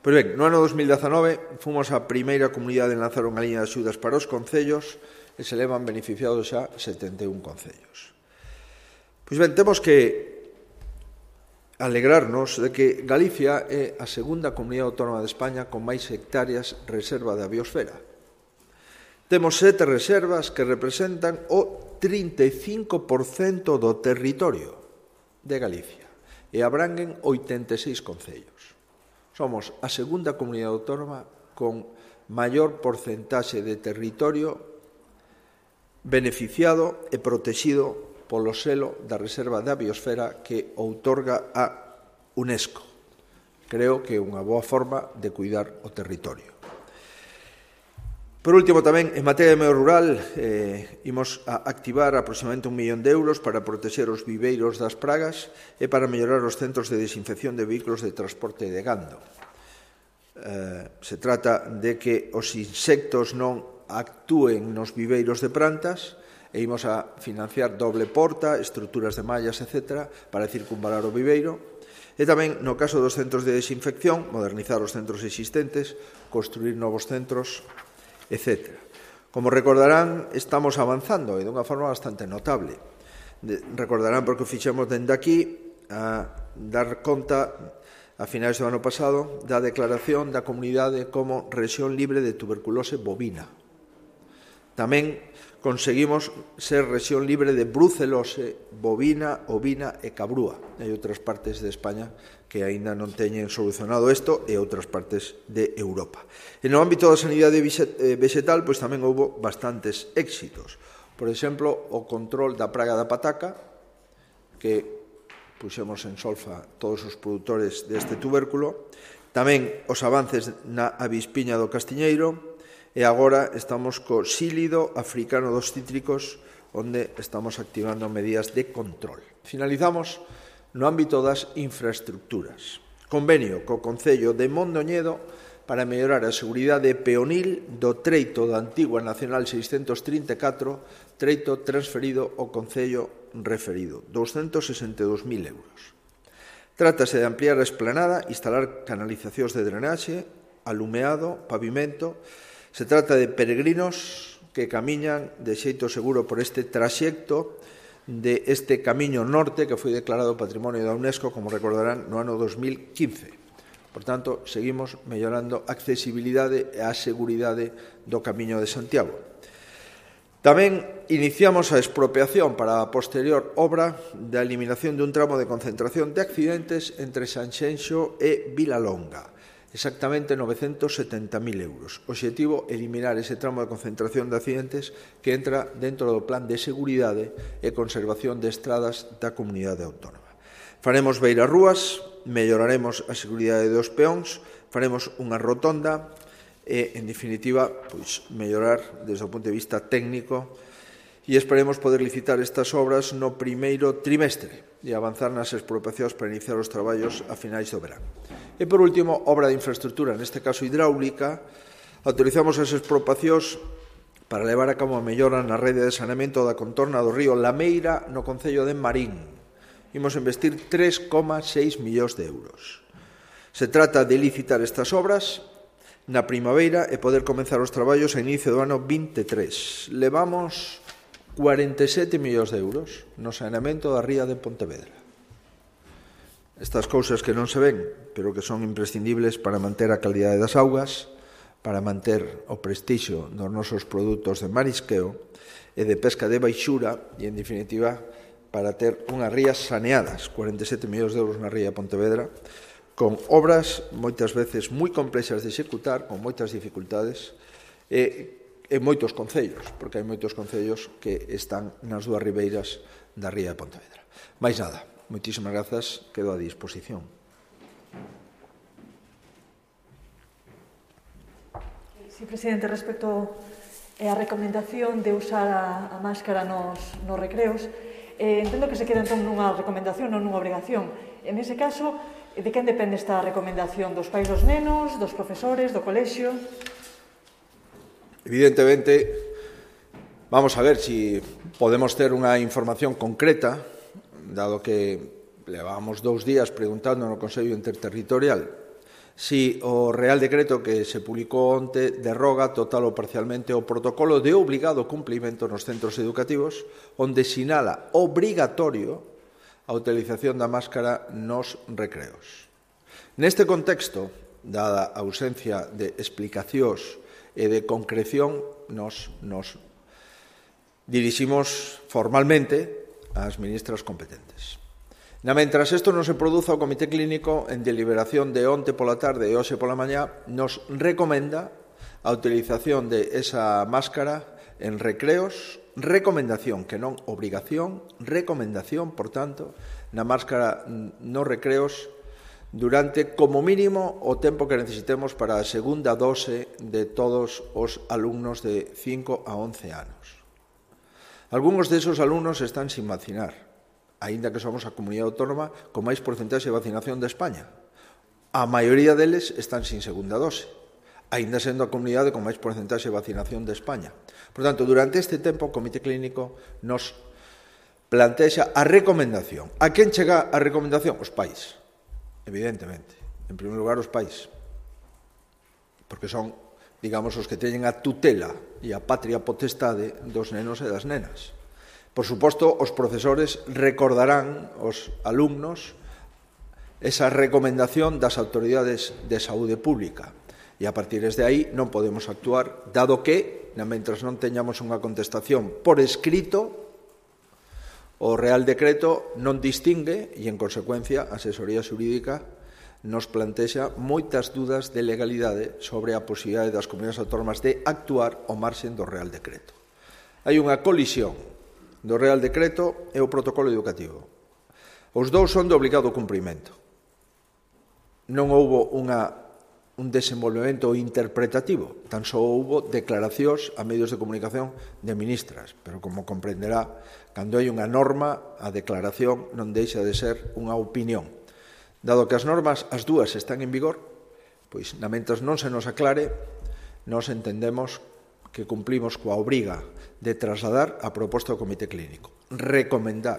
Pois ben, no ano dos mil dezanove fomos a primeira comunidade en lanzar unha liña de axudas para os concellos e se levan beneficiados xa setenta e un concellos. Pois ben, temos que alegrarnos de que Galicia é a segunda comunidade autónoma de España con máis hectáreas reserva da biosfera. Temos sete reservas que representan o trinta e cinco por cento do territorio de Galicia e abranguen oitenta e seis concellos. Somos a segunda comunidade autónoma con maior porcentaxe de territorio beneficiado e protegido polo selo da Reserva da Biosfera que outorga a UNESCO. Creo que é unha boa forma de cuidar o territorio. Por último, tamén, en materia de medio rural, eh, imos a activar aproximadamente un millón de euros para protexer os viveiros das pragas e para mellorar os centros de desinfección de vehículos de transporte de gando. Eh, se trata de que os insectos non actúen nos viveiros de plantas e imos a financiar doble porta, estruturas de mallas, etcétera, para circunvalar o viveiro. E tamén, no caso dos centros de desinfección, modernizar os centros existentes, construir novos centros, etcétera. Como recordarán, estamos avanzando e dunha forma bastante notable. De, recordarán porque o fixemos dende aquí a dar conta a finais do ano pasado da declaración da comunidade como rexión libre de tuberculose bovina. Tamén conseguimos ser rexión libre de brucelose bovina, ovina e cabrúa. Hai outras partes de España que aínda non teñen solucionado isto e outras partes de Europa. E no ámbito da sanidade vegetal, pois tamén houve bastantes éxitos. Por exemplo, o control da praga da pataca, que puxemos en solfa todos os produtores deste tubérculo, tamén os avances na avispiña do castiñeiro, e agora estamos co sílido africano dos cítricos, onde estamos activando medidas de control. Finalizamos no ámbito das infraestructuras. Convenio co Concello de Mondoñedo para mellorar a seguridade peonil do treito da antigua Nacional seiscentos trinta e catro, treito transferido ao Concello referido, douscentos sesenta e dous mil euros. Trátase de ampliar a esplanada, instalar canalizacións de drenaxe, alumeado, pavimento. Se trata de peregrinos que camiñan de xeito seguro por este traxecto de este camiño norte que foi declarado Patrimonio da UNESCO, como recordarán, no ano dos mil quince. Por tanto, seguimos mellorando a accesibilidade e a seguridade do Camiño de Santiago. Tamén iniciamos a expropiación para a posterior obra da eliminación dun tramo de concentración de accidentes entre Sanxenxo e Vilalonga. Exactamente novecentos setenta mil euros. O obxectivo é eliminar ese tramo de concentración de accidentes que entra dentro do plan de seguridade e conservación de estradas da comunidade autónoma. Faremos beirarrúas, melloraremos a seguridade dos peóns, faremos unha rotonda e, en definitiva, pois, mellorar desde o punto de vista técnico e esperemos poder licitar estas obras no primeiro trimestre e avanzar nas expropiacións para iniciar os traballos a finais do verán. E, por último, obra de infraestructura, neste caso hidráulica, autorizamos as expropiacións para levar a cabo a mellora na rede de saneamento da contorna do río Lameira no concello de Marín. Imos investir tres coma seis millóns de euros. Se trata de licitar estas obras na primavera e poder comenzar os traballos a inicio do ano vinte e tres. Levamos cuarenta e sete millóns de euros no saneamento da ría de Pontevedra. Estas cousas que non se ven, pero que son imprescindibles para manter a calidade das augas, para manter o prestixio dos nosos produtos de marisqueo e de pesca de baixura e, en definitiva, para ter unhas rías saneadas, cuarenta e sete millóns de euros na ría de Pontevedra, con obras moitas veces moi complexas de executar, con moitas dificultades, e en moitos concellos, porque hai moitos concellos que están nas dúas ribeiras da ría de Pontevedra. Mais nada, moitísimas grazas, quedo a disposición. Sí, presidente, respecto á recomendación de usar a, a máscara nos, nos recreos, eh, entendo que se queda entón nunha recomendación, non nunha obrigación. En ese caso, de quen depende esta recomendación? Dos pais dos nenos, dos profesores, do colexio? Evidentemente, vamos a ver si podemos ter unha información concreta, dado que levamos dous días preguntando no Consello Interterritorial si o Real Decreto que se publicou onte derroga total ou parcialmente o protocolo de obligado cumplimento nos centros educativos, onde sinala obrigatorio a utilización da máscara nos recreos. Neste contexto, dada a ausencia de explicacións e de concreción, nos, nos diriximos formalmente ás ministras competentes. Na mentras isto non se produza, o Comité Clínico, en deliberación de onte pola tarde e hoxe pola mañá, nos recomenda a utilización de esa máscara en recreos, recomendación, que non obrigación, recomendación, por tanto, na máscara nos recreos durante, como mínimo, o tempo que necesitemos para a segunda dose de todos os alumnos de cinco a once anos. Algúns desos alumnos están sin vacinar, aínda que somos a comunidade autónoma con máis porcentaxe de vacinación de España. A maioría deles están sin segunda dose, aínda sendo a comunidade con máis porcentaxe de vacinación de España. Por tanto, durante este tempo, o Comité Clínico nos plantexa a recomendación. A quen chega a recomendación? Os pais, evidentemente. En primeiro lugar, os pais, porque son, digamos, os que teñen a tutela e a patria potestade dos nenos e das nenas. Por suposto, os profesores recordarán aos alumnos esa recomendación das autoridades de saúde pública e a partir de aí non podemos actuar, dado que, mentras non teñamos unha contestación por escrito, o Real Decreto non distingue e, en consecuencia, a asesoría xurídica nos plantexa moitas dudas de legalidade sobre a posibilidade das comunidades autónomas de actuar ao marxen do Real Decreto. Hai unha colisión do Real Decreto e o protocolo educativo. Os dous son de obligado cumprimento. Non houbo unha, un desenvolvemento interpretativo, tan só houbo declaracións a medios de comunicación de ministras, pero como comprenderá, cando hai unha norma, a declaración non deixa de ser unha opinión. Dado que as normas, as dúas, están en vigor, pois, na mentras non se nos aclare, nos entendemos que cumplimos coa obriga de trasladar a proposta do Comité Clínico. Recomendar,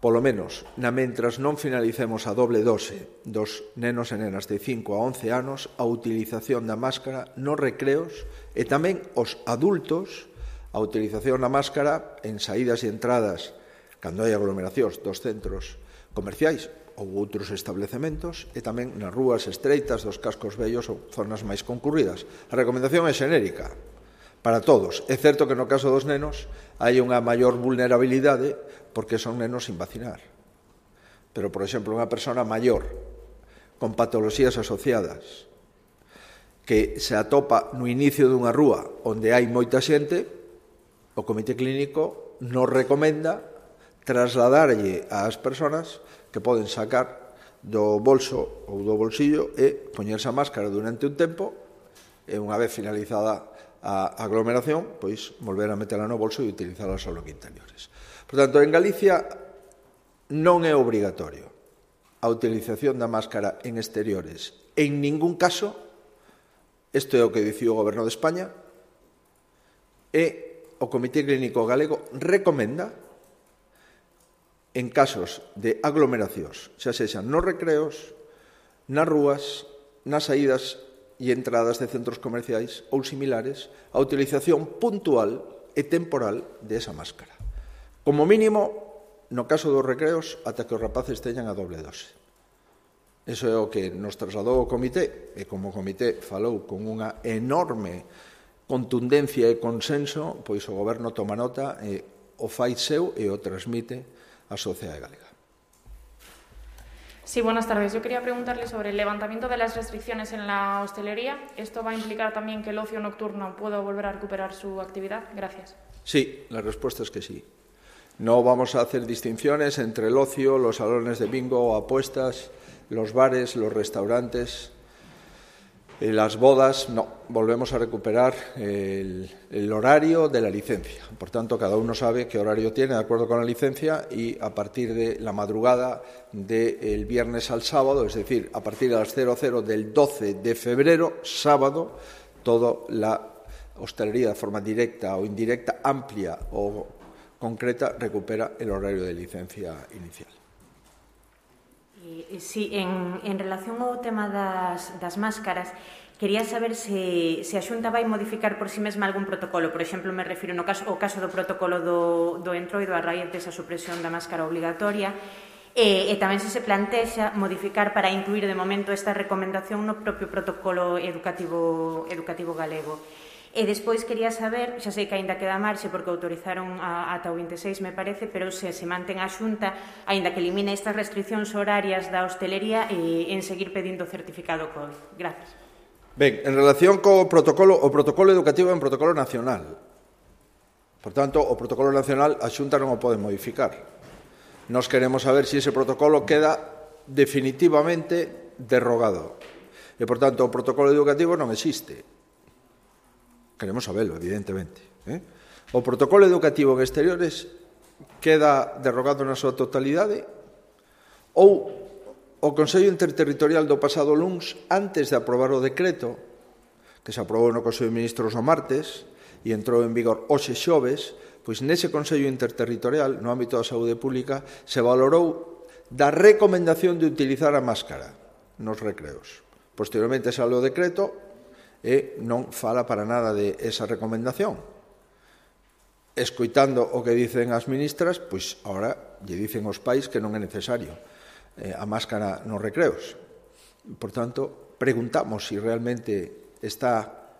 polo menos, na mentras non finalicemos a doble dose dos nenos e nenas de cinco a once anos, a utilización da máscara nos recreos e tamén os adultos, a utilización da máscara en saídas e entradas, cando hai aglomeracións dos centros comerciais ou outros establecementos, e tamén nas rúas estreitas dos cascos vellos ou zonas máis concurridas. A recomendación é xenérica para todos. É certo que no caso dos nenos hai unha maior vulnerabilidade porque son nenos sin vacinar. Pero, por exemplo, unha persona maior con patoloxías asociadas que se atopa no inicio dunha rúa onde hai moita xente, o Comité Clínico nos recomenda trasladarlle ás persoas que poden sacar do bolso ou do bolsillo e poñerse a máscara durante un tempo e unha vez finalizada a aglomeración, pois volver a metela no bolso e utilizala só en interiores. Por tanto, en Galicia non é obrigatorio a utilización da máscara en exteriores. En ningún caso, isto é o que diciu o Goberno de España, e o Comité Clínico Galego recomenda en casos de aglomeracións, xa sexan nos recreos, nas rúas, nas saídas e entradas de centros comerciais ou similares, a utilización puntual e temporal de esa máscara. Como mínimo, no caso dos recreos, ata que os rapaces teñan a doble dose. Iso é o que nos trasladou o comité, e como o comité falou con unha enorme contundencia e consenso, pois o Goberno toma nota e o fai seu e o transmite a sociedade galega. Sí, buenas tardes. Yo quería preguntarle sobre el levantamiento de las restricciones en la hostelería. ¿Esto va a implicar también que el ocio nocturno pueda volver a recuperar su actividad? Gracias. Sí, la respuesta es que sí. No vamos a hacer distinciones entre el ocio, los salones de bingo o apuestas, los bares, los restaurantes, eh, las bodas. No, volvemos a recuperar el, el horario de la licencia. Por tanto, cada uno sabe qué horario tiene de acuerdo con la licencia y a partir de la madrugada del viernes al sábado, es decir, a partir de las cero cero del doce de febrero, sábado, toda la hostelería de forma directa o indirecta, amplia o concreta, recupera el horario de licencia inicial. Sí, en, en relación ao tema das, das máscaras, quería saber se, se a Xunta vai modificar por si mesma algún protocolo. Por exemplo, me refiro no caso, ao caso do protocolo do, do entroido a raíz desa supresión da máscara obligatoria, e, e tamén se se plantexa modificar para incluir de momento esta recomendación no propio protocolo educativo, educativo galego. E despois quería saber, xa sei que aínda queda marxe porque autorizaron a, ata o vinte e seis, me parece, pero se se mantén a Xunta, aínda que elimine estas restriccións horarias da hostelería, e en seguir pedindo certificado COVID. Gracias. Ben, en relación co protocolo, o protocolo educativo é un protocolo nacional. Por tanto, o protocolo nacional a Xunta non o pode modificar. Nos queremos saber se ese protocolo queda definitivamente derrogado. E, por tanto, o protocolo educativo non existe. Queremos saberlo, evidentemente. Eh? O protocolo educativo en exteriores queda derrogado na súa totalidade ou o Consello Interterritorial do pasado luns, antes de aprobar o decreto, que se aprobou no Consello de Ministros o martes e entrou en vigor hoxe xoves, pois nese Consello Interterritorial, no ámbito da saúde pública, se valorou da recomendación de utilizar a máscara nos recreos. Posteriormente sale o decreto e non fala para nada de esa recomendación. Escoitando o que dicen as ministras, pois agora lle dicen aos pais que non é necesario eh, a máscara nos recreos. Por tanto, preguntamos se si realmente está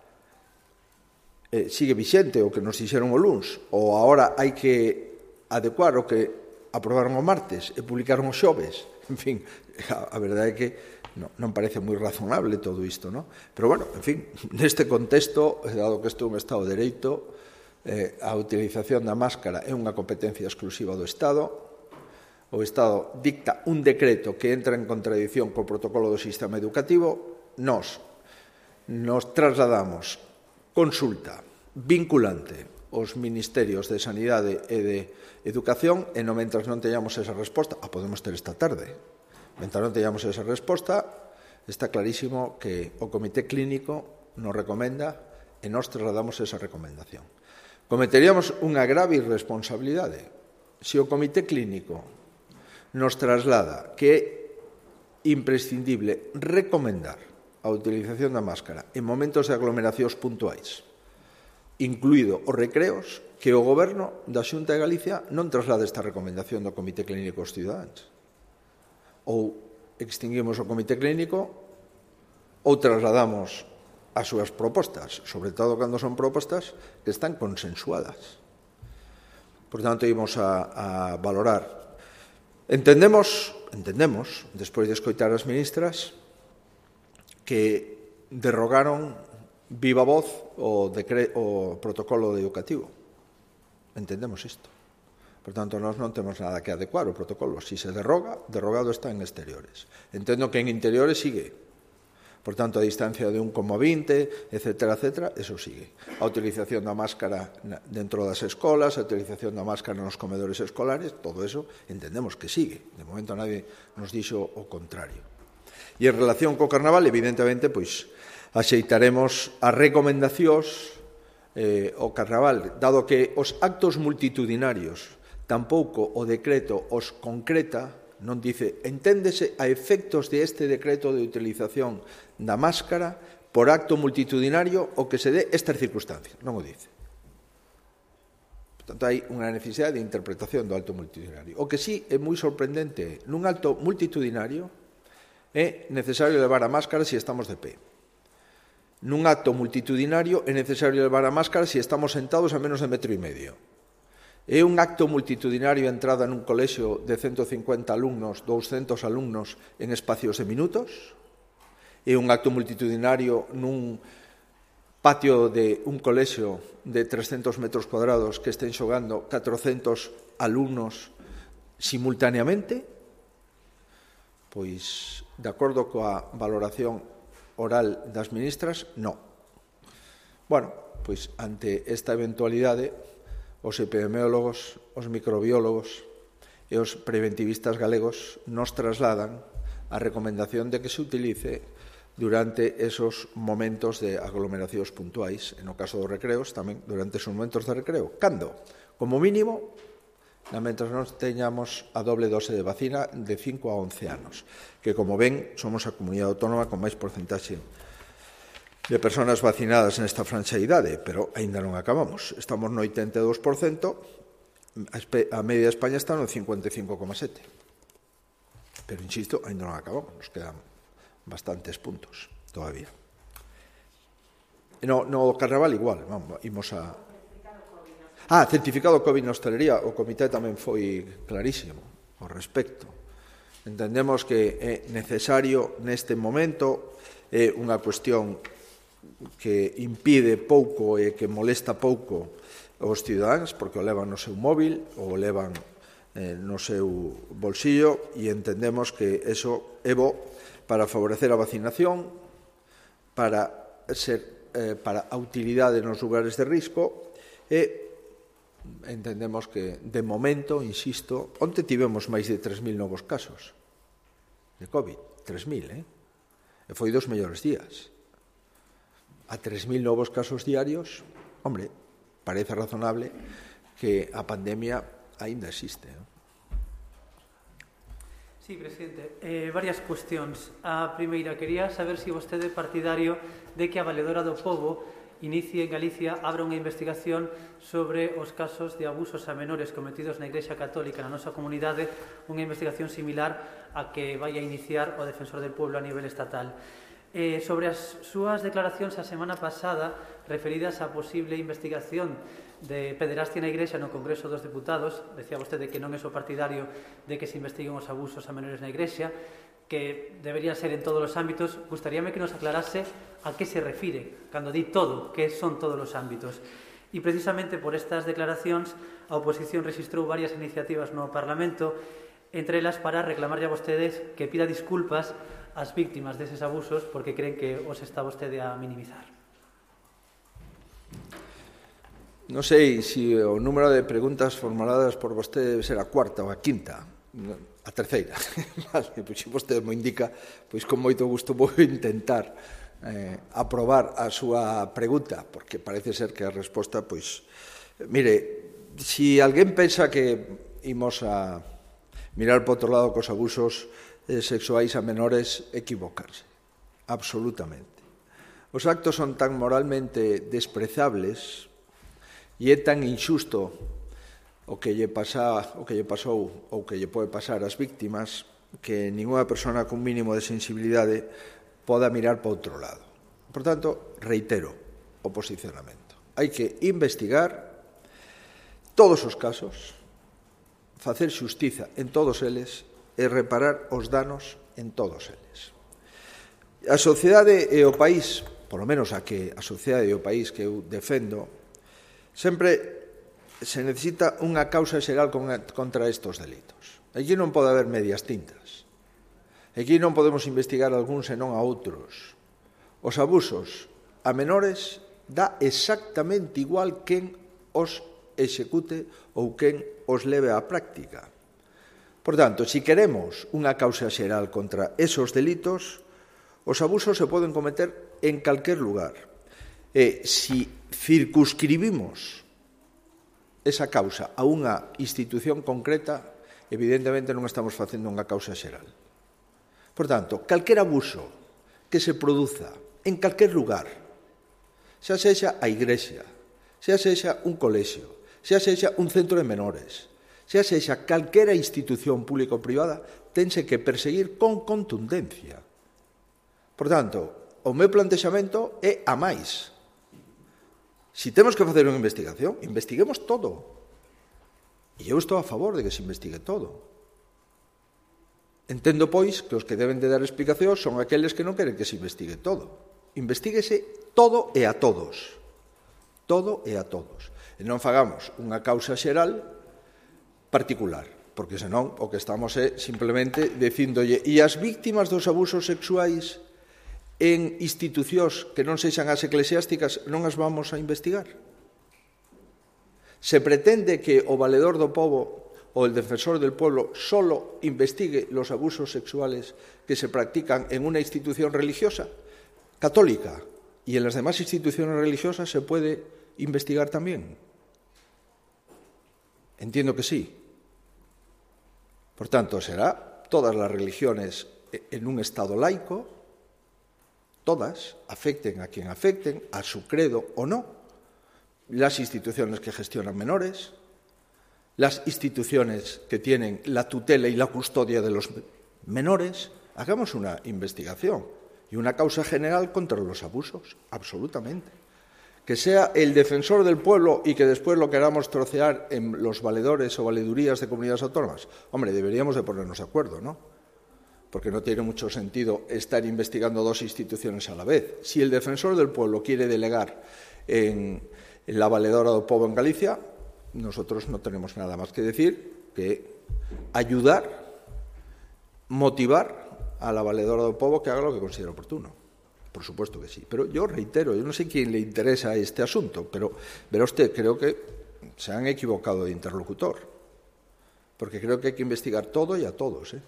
eh, sigue vixente o que nos dixeron o luns, ou agora hai que adecuar o que aprobaron o martes e publicaron os xoves. En fin, a, a verdade é que No, non parece moi razonable todo isto, non? Pero, bueno, en fin, neste contexto, dado que isto é un Estado de Dereito, eh, a utilización da máscara é unha competencia exclusiva do Estado. O Estado dicta un decreto que entra en contradición co protocolo do sistema educativo. Nós nos trasladamos consulta vinculante aos ministerios de Sanidade e de Educación e no mentras non teñamos esa resposta, a podemos ter esta tarde. Mentre non teñamos esa resposta, está clarísimo que o Comité Clínico nos recomenda e nós trasladamos esa recomendación. Cometeríamos unha grave irresponsabilidade se o Comité Clínico nos traslada que é imprescindible recomendar a utilización da máscara en momentos de aglomeracións puntuais, incluído os recreos, que o Goberno da Xunta de Galicia non traslade esta recomendación do Comité Clínico aos cidadáns. Ou extinguimos o Comité Clínico ou trasladamos as súas propostas, sobre todo cando son propostas que están consensuadas. Por tanto, ímos a, a valorar. Entendemos, entendemos, despois de escoitar as ministras, que derrogaron viva voz o, decre, o protocolo educativo. Entendemos isto. Por tanto, nós non temos nada que adecuar o protocolo. Si se derroga, derrogado está en exteriores. Entendo que en interiores sigue. Por tanto, a distancia de un coma vinte, etcétera, etcétera, eso sigue. A utilización da máscara dentro das escolas, a utilización da máscara nos comedores escolares, todo eso entendemos que sigue. De momento nadie nos dixo o contrario. E en relación co Carnaval, evidentemente, pois, axeitaremos as recomendacións eh, o Carnaval, dado que os actos multitudinarios tampouco o decreto os concreta, non dice, enténdese a efectos de este decreto de utilización da máscara por acto multitudinario o que se dé estas circunstancias. Non o dice. Por tanto, hai unha necesidade de interpretación do acto multitudinario. O que sí é moi sorprendente, nun acto multitudinario é necesario levar a máscara se estamos de pé. Nun acto multitudinario é necesario levar a máscara se estamos sentados a menos de metro e medio. É un acto multitudinario a entrada nun colexio de ciento cincuenta alumnos, doscientos alumnos en espacios de minutos? É un acto multitudinario nun patio de un colexio de trescentos metros cuadrados que estén xogando catrocentos alumnos simultaneamente? Pois, de acordo coa valoración oral das ministras, non. Bueno, pois, ante esta eventualidade, os epidemiólogos, os microbiólogos e os preventivistas galegos nos trasladan a recomendación de que se utilice durante esos momentos de aglomeracións puntuais, en o caso dos recreos, tamén durante esos momentos de recreo. Cando? Como mínimo, mentras non teñamos a doble dose de vacina de cinco a once anos, que, como ven, somos a comunidade autónoma con máis porcentaxe de persoas vacinadas nesta franxa de idade, pero aínda non acabamos. Estamos no oitenta e dous por cento, a media de España está no cincuenta e cinco coma sete. Pero, insisto, aínda non acabamos, nos quedan bastantes puntos todavía. No, no carnaval igual, vamos, imos a... Ah, certificado COVID na hostelería, o comité tamén foi clarísimo ao respecto. Entendemos que é necesario neste momento, é unha cuestión que impide pouco e que molesta pouco os cidadáns, porque o levan no seu móvil ou o levan eh, no seu bolsillo, e entendemos que eso é bo para favorecer a vacinación, para ser eh, para a utilidade nos lugares de risco, e entendemos que, de momento, insisto, onte tivemos máis de tres mil novos casos de COVID, tres mil, eh? E foi dos mellores días. A tres mil novos casos diarios, hombre, parece razonable que a pandemia aínda existe, eh? Sí, presidente. Eh, varias cuestións. A primeira, quería saber se vostede é partidario de que a Valedora do Pobo inicie en Galicia, abra unha investigación sobre os casos de abusos a menores cometidos na Igrexa Católica na nosa comunidade, unha investigación similar a que vai a iniciar o Defensor del Pueblo a nivel estatal. Eh, sobre as súas declaracións a semana pasada referidas á posible investigación de pederastia na Igrexa no Congreso dos Deputados, decía vostede que non é o partidario de que se investiguen os abusos a menores na Igrexa, que debería ser en todos os ámbitos. Gustaríame que nos aclarase a que se refire cando di todo, que son todos os ámbitos. E precisamente por estas declaracións a oposición registrou varias iniciativas no Parlamento, entre elas para reclamarlle a vostedes que pida disculpas ás víctimas deses abusos porque creen que os está vostede a minimizar. Non sei se o número de preguntas formuladas por vostede debe ser a cuarta ou a quinta, a terceira. Vale, pois se vostede mo indica, pois con moito gusto vou intentar eh, aprobar a súa pregunta, porque parece ser que a resposta, pois, mire, se alguén pensa que imos a mirar por outro lado cos abusos eh, sexuais a menores, equivocarse, absolutamente. Os actos son tan moralmente desprezables e é tan injusto o que lle pasa, o que lle pasou ou que lle pode pasar ás víctimas que ninguna persona con mínimo de sensibilidade poda mirar para outro lado. Por tanto, reitero o posicionamento. Hai que investigar todos os casos, facer xustiza en todos eles e reparar os danos en todos eles. A sociedade e o país, polo menos a que a sociedade e o país que eu defendo, sempre se necesita unha causa xeral contra estes delitos. Aquí non pode haber medias tintas. Aquí non podemos investigar algúns e non a outros. Os abusos a menores dá exactamente igual quen os execute ou quen os leve á práctica. Por tanto, se queremos unha causa xeral contra esos delitos, os abusos se poden cometer en calquer lugar. E se circunscribimos esa causa a unha institución concreta, evidentemente non estamos facendo unha causa xeral. Por tanto, calquer abuso que se produza en calquer lugar, xa sexa a igrexa, xa sexa un colexio, xa sexa un centro de menores, xa sexa calquera institución pública ou privada, tense que perseguir con contundencia. Por tanto, o meu plantexamento é a máis. Se temos que facer unha investigación, investiguemos todo. E eu estou a favor de que se investigue todo. Entendo, pois, que os que deben de dar explicación son aqueles que non queren que se investigue todo. Investíguese todo e a todos. Todo e a todos. E non fagamos unha causa xeral particular, porque senón o que estamos é simplemente dicíndolle e as víctimas dos abusos sexuais en institucións que non sexan as eclesiásticas non as vamos a investigar. Se pretende que o Valedor do Pobo o el Defensor del Pueblo solo investigue los abusos sexuales que se practican en una institución religiosa, católica, y en las demás instituciones religiosas se puede investigar también. Entiendo que sí. Por tanto, será todas las religiones en un Estado laico, todas, afecten a quien afecten, a su credo o no, las instituciones que gestionan menores, las instituciones que tienen la tutela y la custodia de los menores, hagamos una investigación y una causa general contra los abusos, absolutamente. Que sea el defensor del pueblo y que después lo queramos trocear en los valedores o valedurías de comunidades autónomas. Hombre, deberíamos de ponernos de acuerdo, ¿no? Porque no tiene mucho sentido estar investigando dos instituciones a la vez. Si el defensor del pueblo quiere delegar en, en la valedora do pobo en Galicia, nosotros no tenemos nada más que decir que ayudar, motivar a la valedora do pobo que haga lo que considere oportuno. Por supuesto que sí. Pero yo reitero, yo no sé quién le interesa este asunto, pero verá usted, creo que se han equivocado de interlocutor. Porque creo que hay que investigar todo y a todos, ¿eh?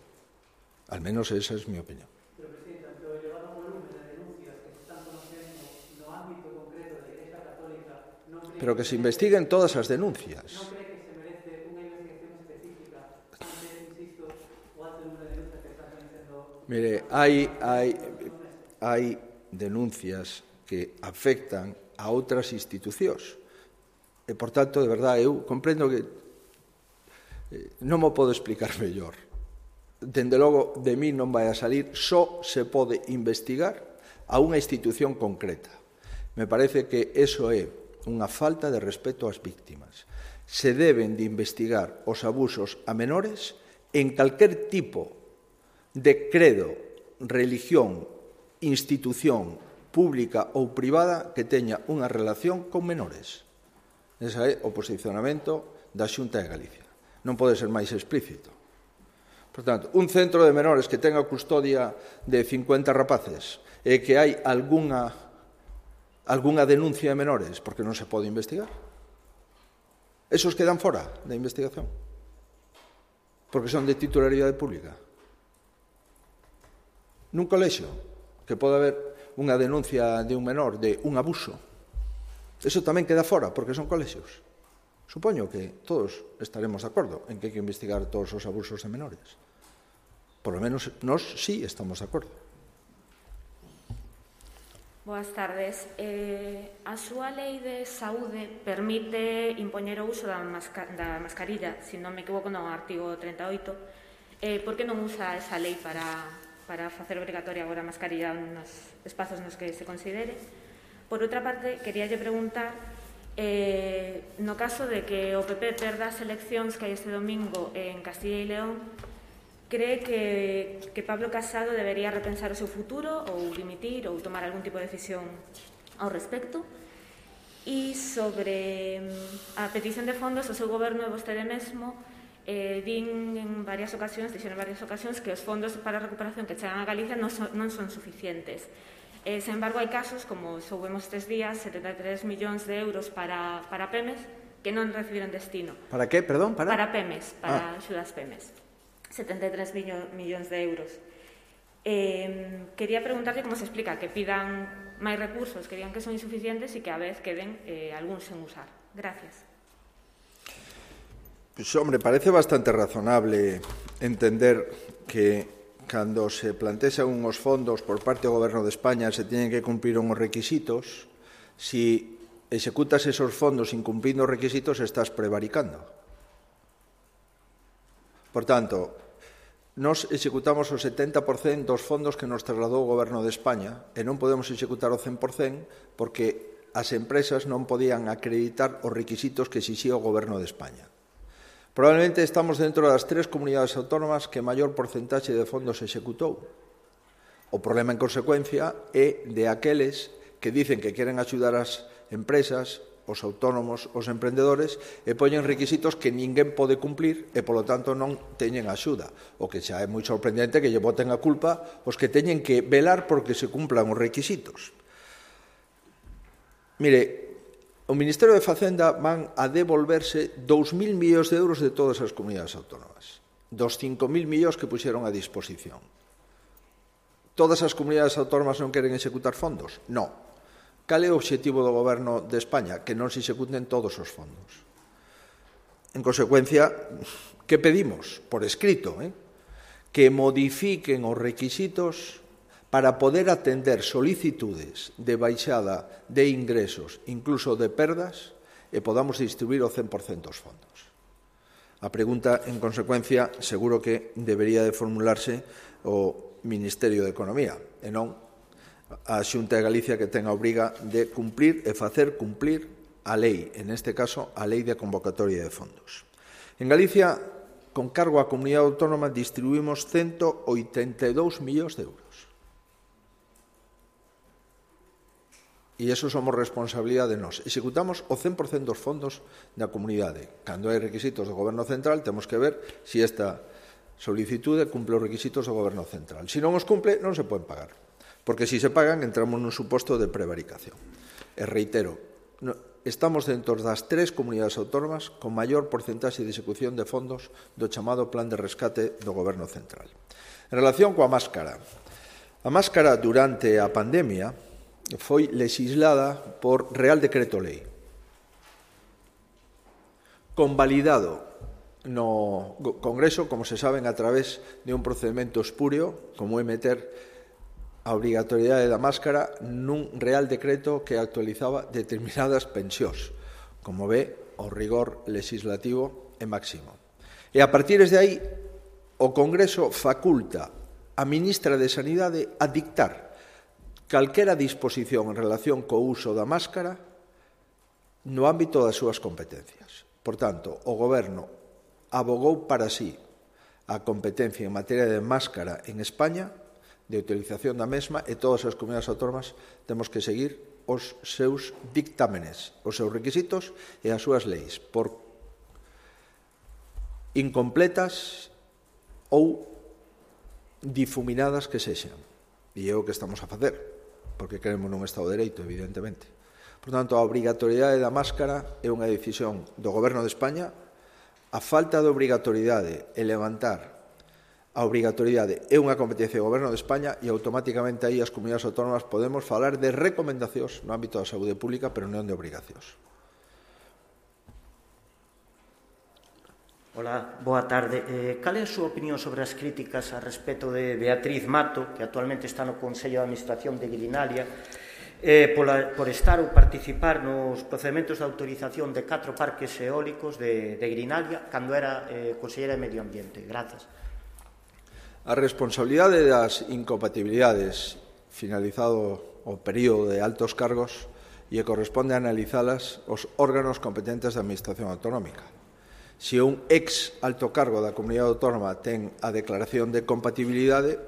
Al menos esa es mi opinión. Pero, Presidenta, ante o elevado volumen de denuncias que se están conocendo no ámbito concreto da Igrexa Católica, non cree Pero que se investiguen todas as denuncias. non cree que se merece unha investigación específica ante, insisto, o alto número de denuncias que están conocendo? Mire, hai, hai, hai denuncias que afectan a outras institucións. E, por tanto, de verdade, eu comprendo que eh, non mo podo explicar mellor. Dende logo, de mí non vai a salir, só se pode investigar a unha institución concreta. Me parece que eso é unha falta de respeto ás víctimas. Se deben de investigar os abusos a menores en calquer tipo de credo, religión, institución pública ou privada que teña unha relación con menores. Ese é o posicionamento da Xunta de Galicia. Non pode ser máis explícito. Por tanto, un centro de menores que tenga custodia de cincuenta rapaces e que hai algunha, algunha denuncia de menores porque non se pode investigar. Esos quedan fora da investigación porque son de titularidade pública. Nun colexio que pode haber unha denuncia de un menor de un abuso, eso tamén queda fora porque son colexios. Supoño que todos estaremos de acordo en que hai que investigar todos os abusos de menores. Por lo menos nós sí estamos de acordo. Boas tardes. Eh, a súa lei de saúde permite impoñer o uso da, masca da mascarilla, se non me equivoco, no artigo treinta e oito. Eh, por que non usa esa lei para... para facer obrigatoria agora a mascarilla nos espazos nos que se considere? Por outra parte, queríalle preguntar, eh, no caso de que o P P perda as eleccións que hai este domingo en Castilla e León, cree que, que Pablo Casado debería repensar o seu futuro ou dimitir ou tomar algún tipo de decisión ao respecto? E sobre a petición de fondos, o seu goberno e vostede mesmo Eh, din en varias ocasións, dixeron en varias ocasións que os fondos para a recuperación que chegan a Galicia non son, non son suficientes. Eh, sen embargo, hai casos, como soubemos estes días, setenta e tres millóns de euros para, para PEMES que non recibiron destino. Para que, perdón? Para, para PEMES, para ah. axudas PEMES. setenta e tres millóns de euros. Eh, quería preguntarlle como se explica que pidan máis recursos, que digan que son insuficientes e que a vez queden eh, algúns sen usar. Gracias. Pues, hombre, parece bastante razonable entender que cando se plantean unhos fondos por parte do Goberno de España se teñen que cumprir unhos requisitos. Si executas esos fondos incumplindo os requisitos, estás prevaricando. Por tanto, nos executamos o setenta por cento dos fondos que nos trasladou o Goberno de España e non podemos executar o cen por cento porque as empresas non podían acreditar os requisitos que exixía o Goberno de España. Probablemente estamos dentro das tres comunidades autónomas que maior porcentaxe de fondos se executou. O problema, en consecuencia, é de aqueles que dicen que queren axudar as empresas, os autónomos, os emprendedores, e poñen requisitos que ninguén pode cumplir e, polo tanto, non teñen axuda. O que xa é moi sorprendente que lle boten a culpa os que teñen que velar porque se cumplan os requisitos. Mire, o Ministerio de Facenda van a devolverse dous mil millóns de euros de todas as comunidades autónomas, dos cinco mil millóns que puxeron a disposición. Todas as comunidades autónomas non queren executar fondos? Non. Cal é o obxectivo do Goberno de España? Que non se executen todos os fondos. En consecuencia, que pedimos? Por escrito, eh? que modifiquen os requisitos para poder atender solicitudes de baixada de ingresos, incluso de perdas, e podamos distribuir o cen por cento dos fondos. A pregunta, en consecuencia, seguro que debería de formularse o Ministerio de Economía, e non a Xunta de Galicia que ten a obriga de cumplir e facer cumplir a lei, en este caso, a lei de convocatoria de fondos. En Galicia, con cargo á comunidade autónoma, distribuímos ciento oitenta e dous millóns de euros. E iso somos responsabilidade de nós. Executamos o cen por cento dos fondos da comunidade. Cando hai requisitos do Goberno Central, temos que ver se esta solicitude cumple os requisitos do Goberno Central. Se non os cumple, non se poden pagar. Porque se se pagan, entramos nun suposto de prevaricación. E reitero, estamos dentro das tres comunidades autónomas con maior porcentaxe de execución de fondos do chamado Plan de Rescate do Goberno Central. En relación coa máscara, a máscara durante a pandemia foi legislada por Real Decreto Lei, convalidado no Congreso, como se saben, a través de un procedimento espurio, como é meter a obrigatoriedade da máscara nun Real Decreto que actualizaba determinadas pensións. Como ve, o rigor legislativo é máximo. E a partir de aí, o Congreso faculta a ministra de Sanidade a dictar calquera disposición en relación co uso da máscara no ámbito das súas competencias. Por tanto, o Goberno abogou para sí a competencia en materia de máscara en España, de utilización da mesma, e todas as comunidades autónomas temos que seguir os seus dictámenes, os seus requisitos e as súas leis, por incompletas ou difuminadas que sexan. E é o que estamos a facer, porque queremos nun Estado de Dereito, evidentemente. Por tanto, a obrigatoriedade da máscara é unha decisión do Goberno de España. A falta de obrigatoriedade e levantar a obrigatoriedade é unha competencia do Goberno de España e automáticamente aí as comunidades autónomas podemos falar de recomendacións no ámbito da saúde pública, pero non de obrigacións. Hola, boa tarde. Eh, cal é a súa opinión sobre as críticas a respecto de Beatriz Mato, que actualmente está no Consello de Administración de Grinalia, eh, pola, por estar ou participar nos procedementos de autorización de catro parques eólicos de, de Grinalia cando era eh, Consellera de Medio Ambiente? Grazas. A responsabilidade das incompatibilidades finalizado o período de altos cargos e corresponde analizalas os órganos competentes da Administración Autonómica. Se un ex alto cargo da comunidade autónoma ten a declaración de compatibilidade,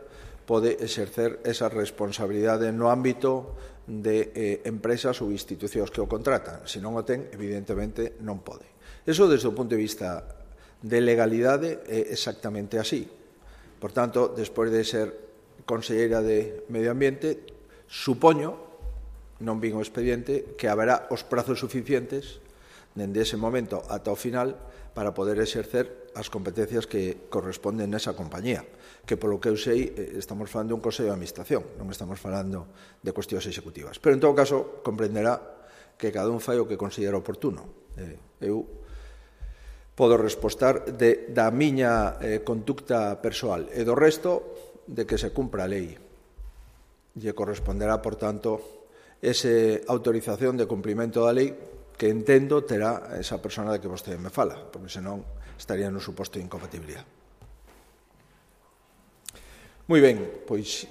pode exercer esa responsabilidade no ámbito de eh, empresas ou institucións que o contratan. Se non o ten, evidentemente non pode. Eso, desde o punto de vista de legalidade, é exactamente así. Por tanto, despois de ser conselleira de Medio Ambiente, supoño, non vin o expediente, que haberá os prazos suficientes dende ese momento ata o final para poder exercer as competencias que corresponden nesa compañía, que polo que eu sei estamos falando de un Consello de Administración, non estamos falando de cuestións executivas. Pero en todo caso comprenderá que cada un fai o que considera oportuno. Eu podo respostar de, da miña eh, conducta persoal e do resto de que se cumpra a lei. E corresponderá, por tanto, esa autorización de cumprimento da lei que entendo terá esa persona de que vostede me fala, porque senón estaría no suposto de incompatibilidade. Moi ben, pois...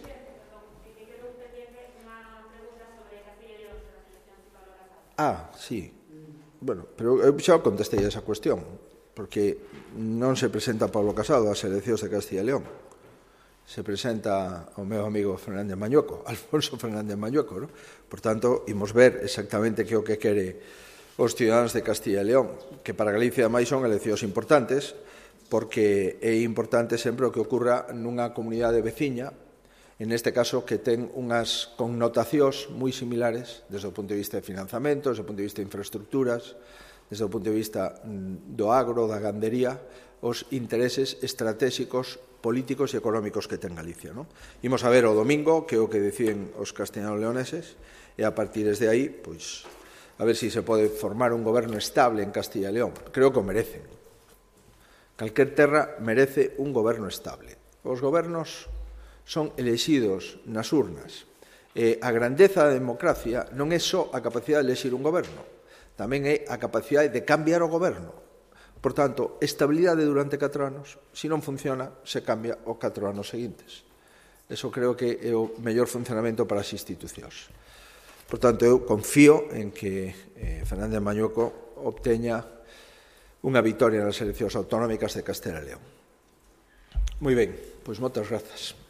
Ah, sí. Bueno, pero eu xa contestei a esa cuestión, porque non se presenta Pablo Casado ás eleccións de Castilla e León. Se presenta o meu amigo Fernández Mañueco, Alfonso Fernández Mañueco, ¿no? Por tanto, imos ver exactamente que o que quere os ciudadanos de Castilla e León, que para Galicia máis son eleccións importantes, porque é importante sempre o que ocurra nunha comunidade veciña, en este caso que ten unhas connotacións moi similares desde o punto de vista de financiamento, desde o punto de vista de infraestructuras, desde o punto de vista do agro, da gandería, os intereses estratégicos, políticos e económicos que ten Galicia. ¿No? Imos a ver o domingo que é o que deciden os castellanos-leoneses e a partir de aí, pois, a ver se si se pode formar un goberno estable en Castilla e León. Creo que o merecen. Calquer terra merece un goberno estable. Os gobernos son elexidos nas urnas. E a grandeza da democracia non é só a capacidade de elexir un goberno, tamén é a capacidade de cambiar o goberno. Por tanto, estabilidade durante catro anos, se non funciona, se cambia os catro anos seguintes. Eso creo que é o mellor funcionamento para as institucións. Por tanto, eu confío en que eh, Fernández Mañueco obteña unha vitoria nas eleccións autonómicas de Castela e León. Moi ben, pois moitas grazas.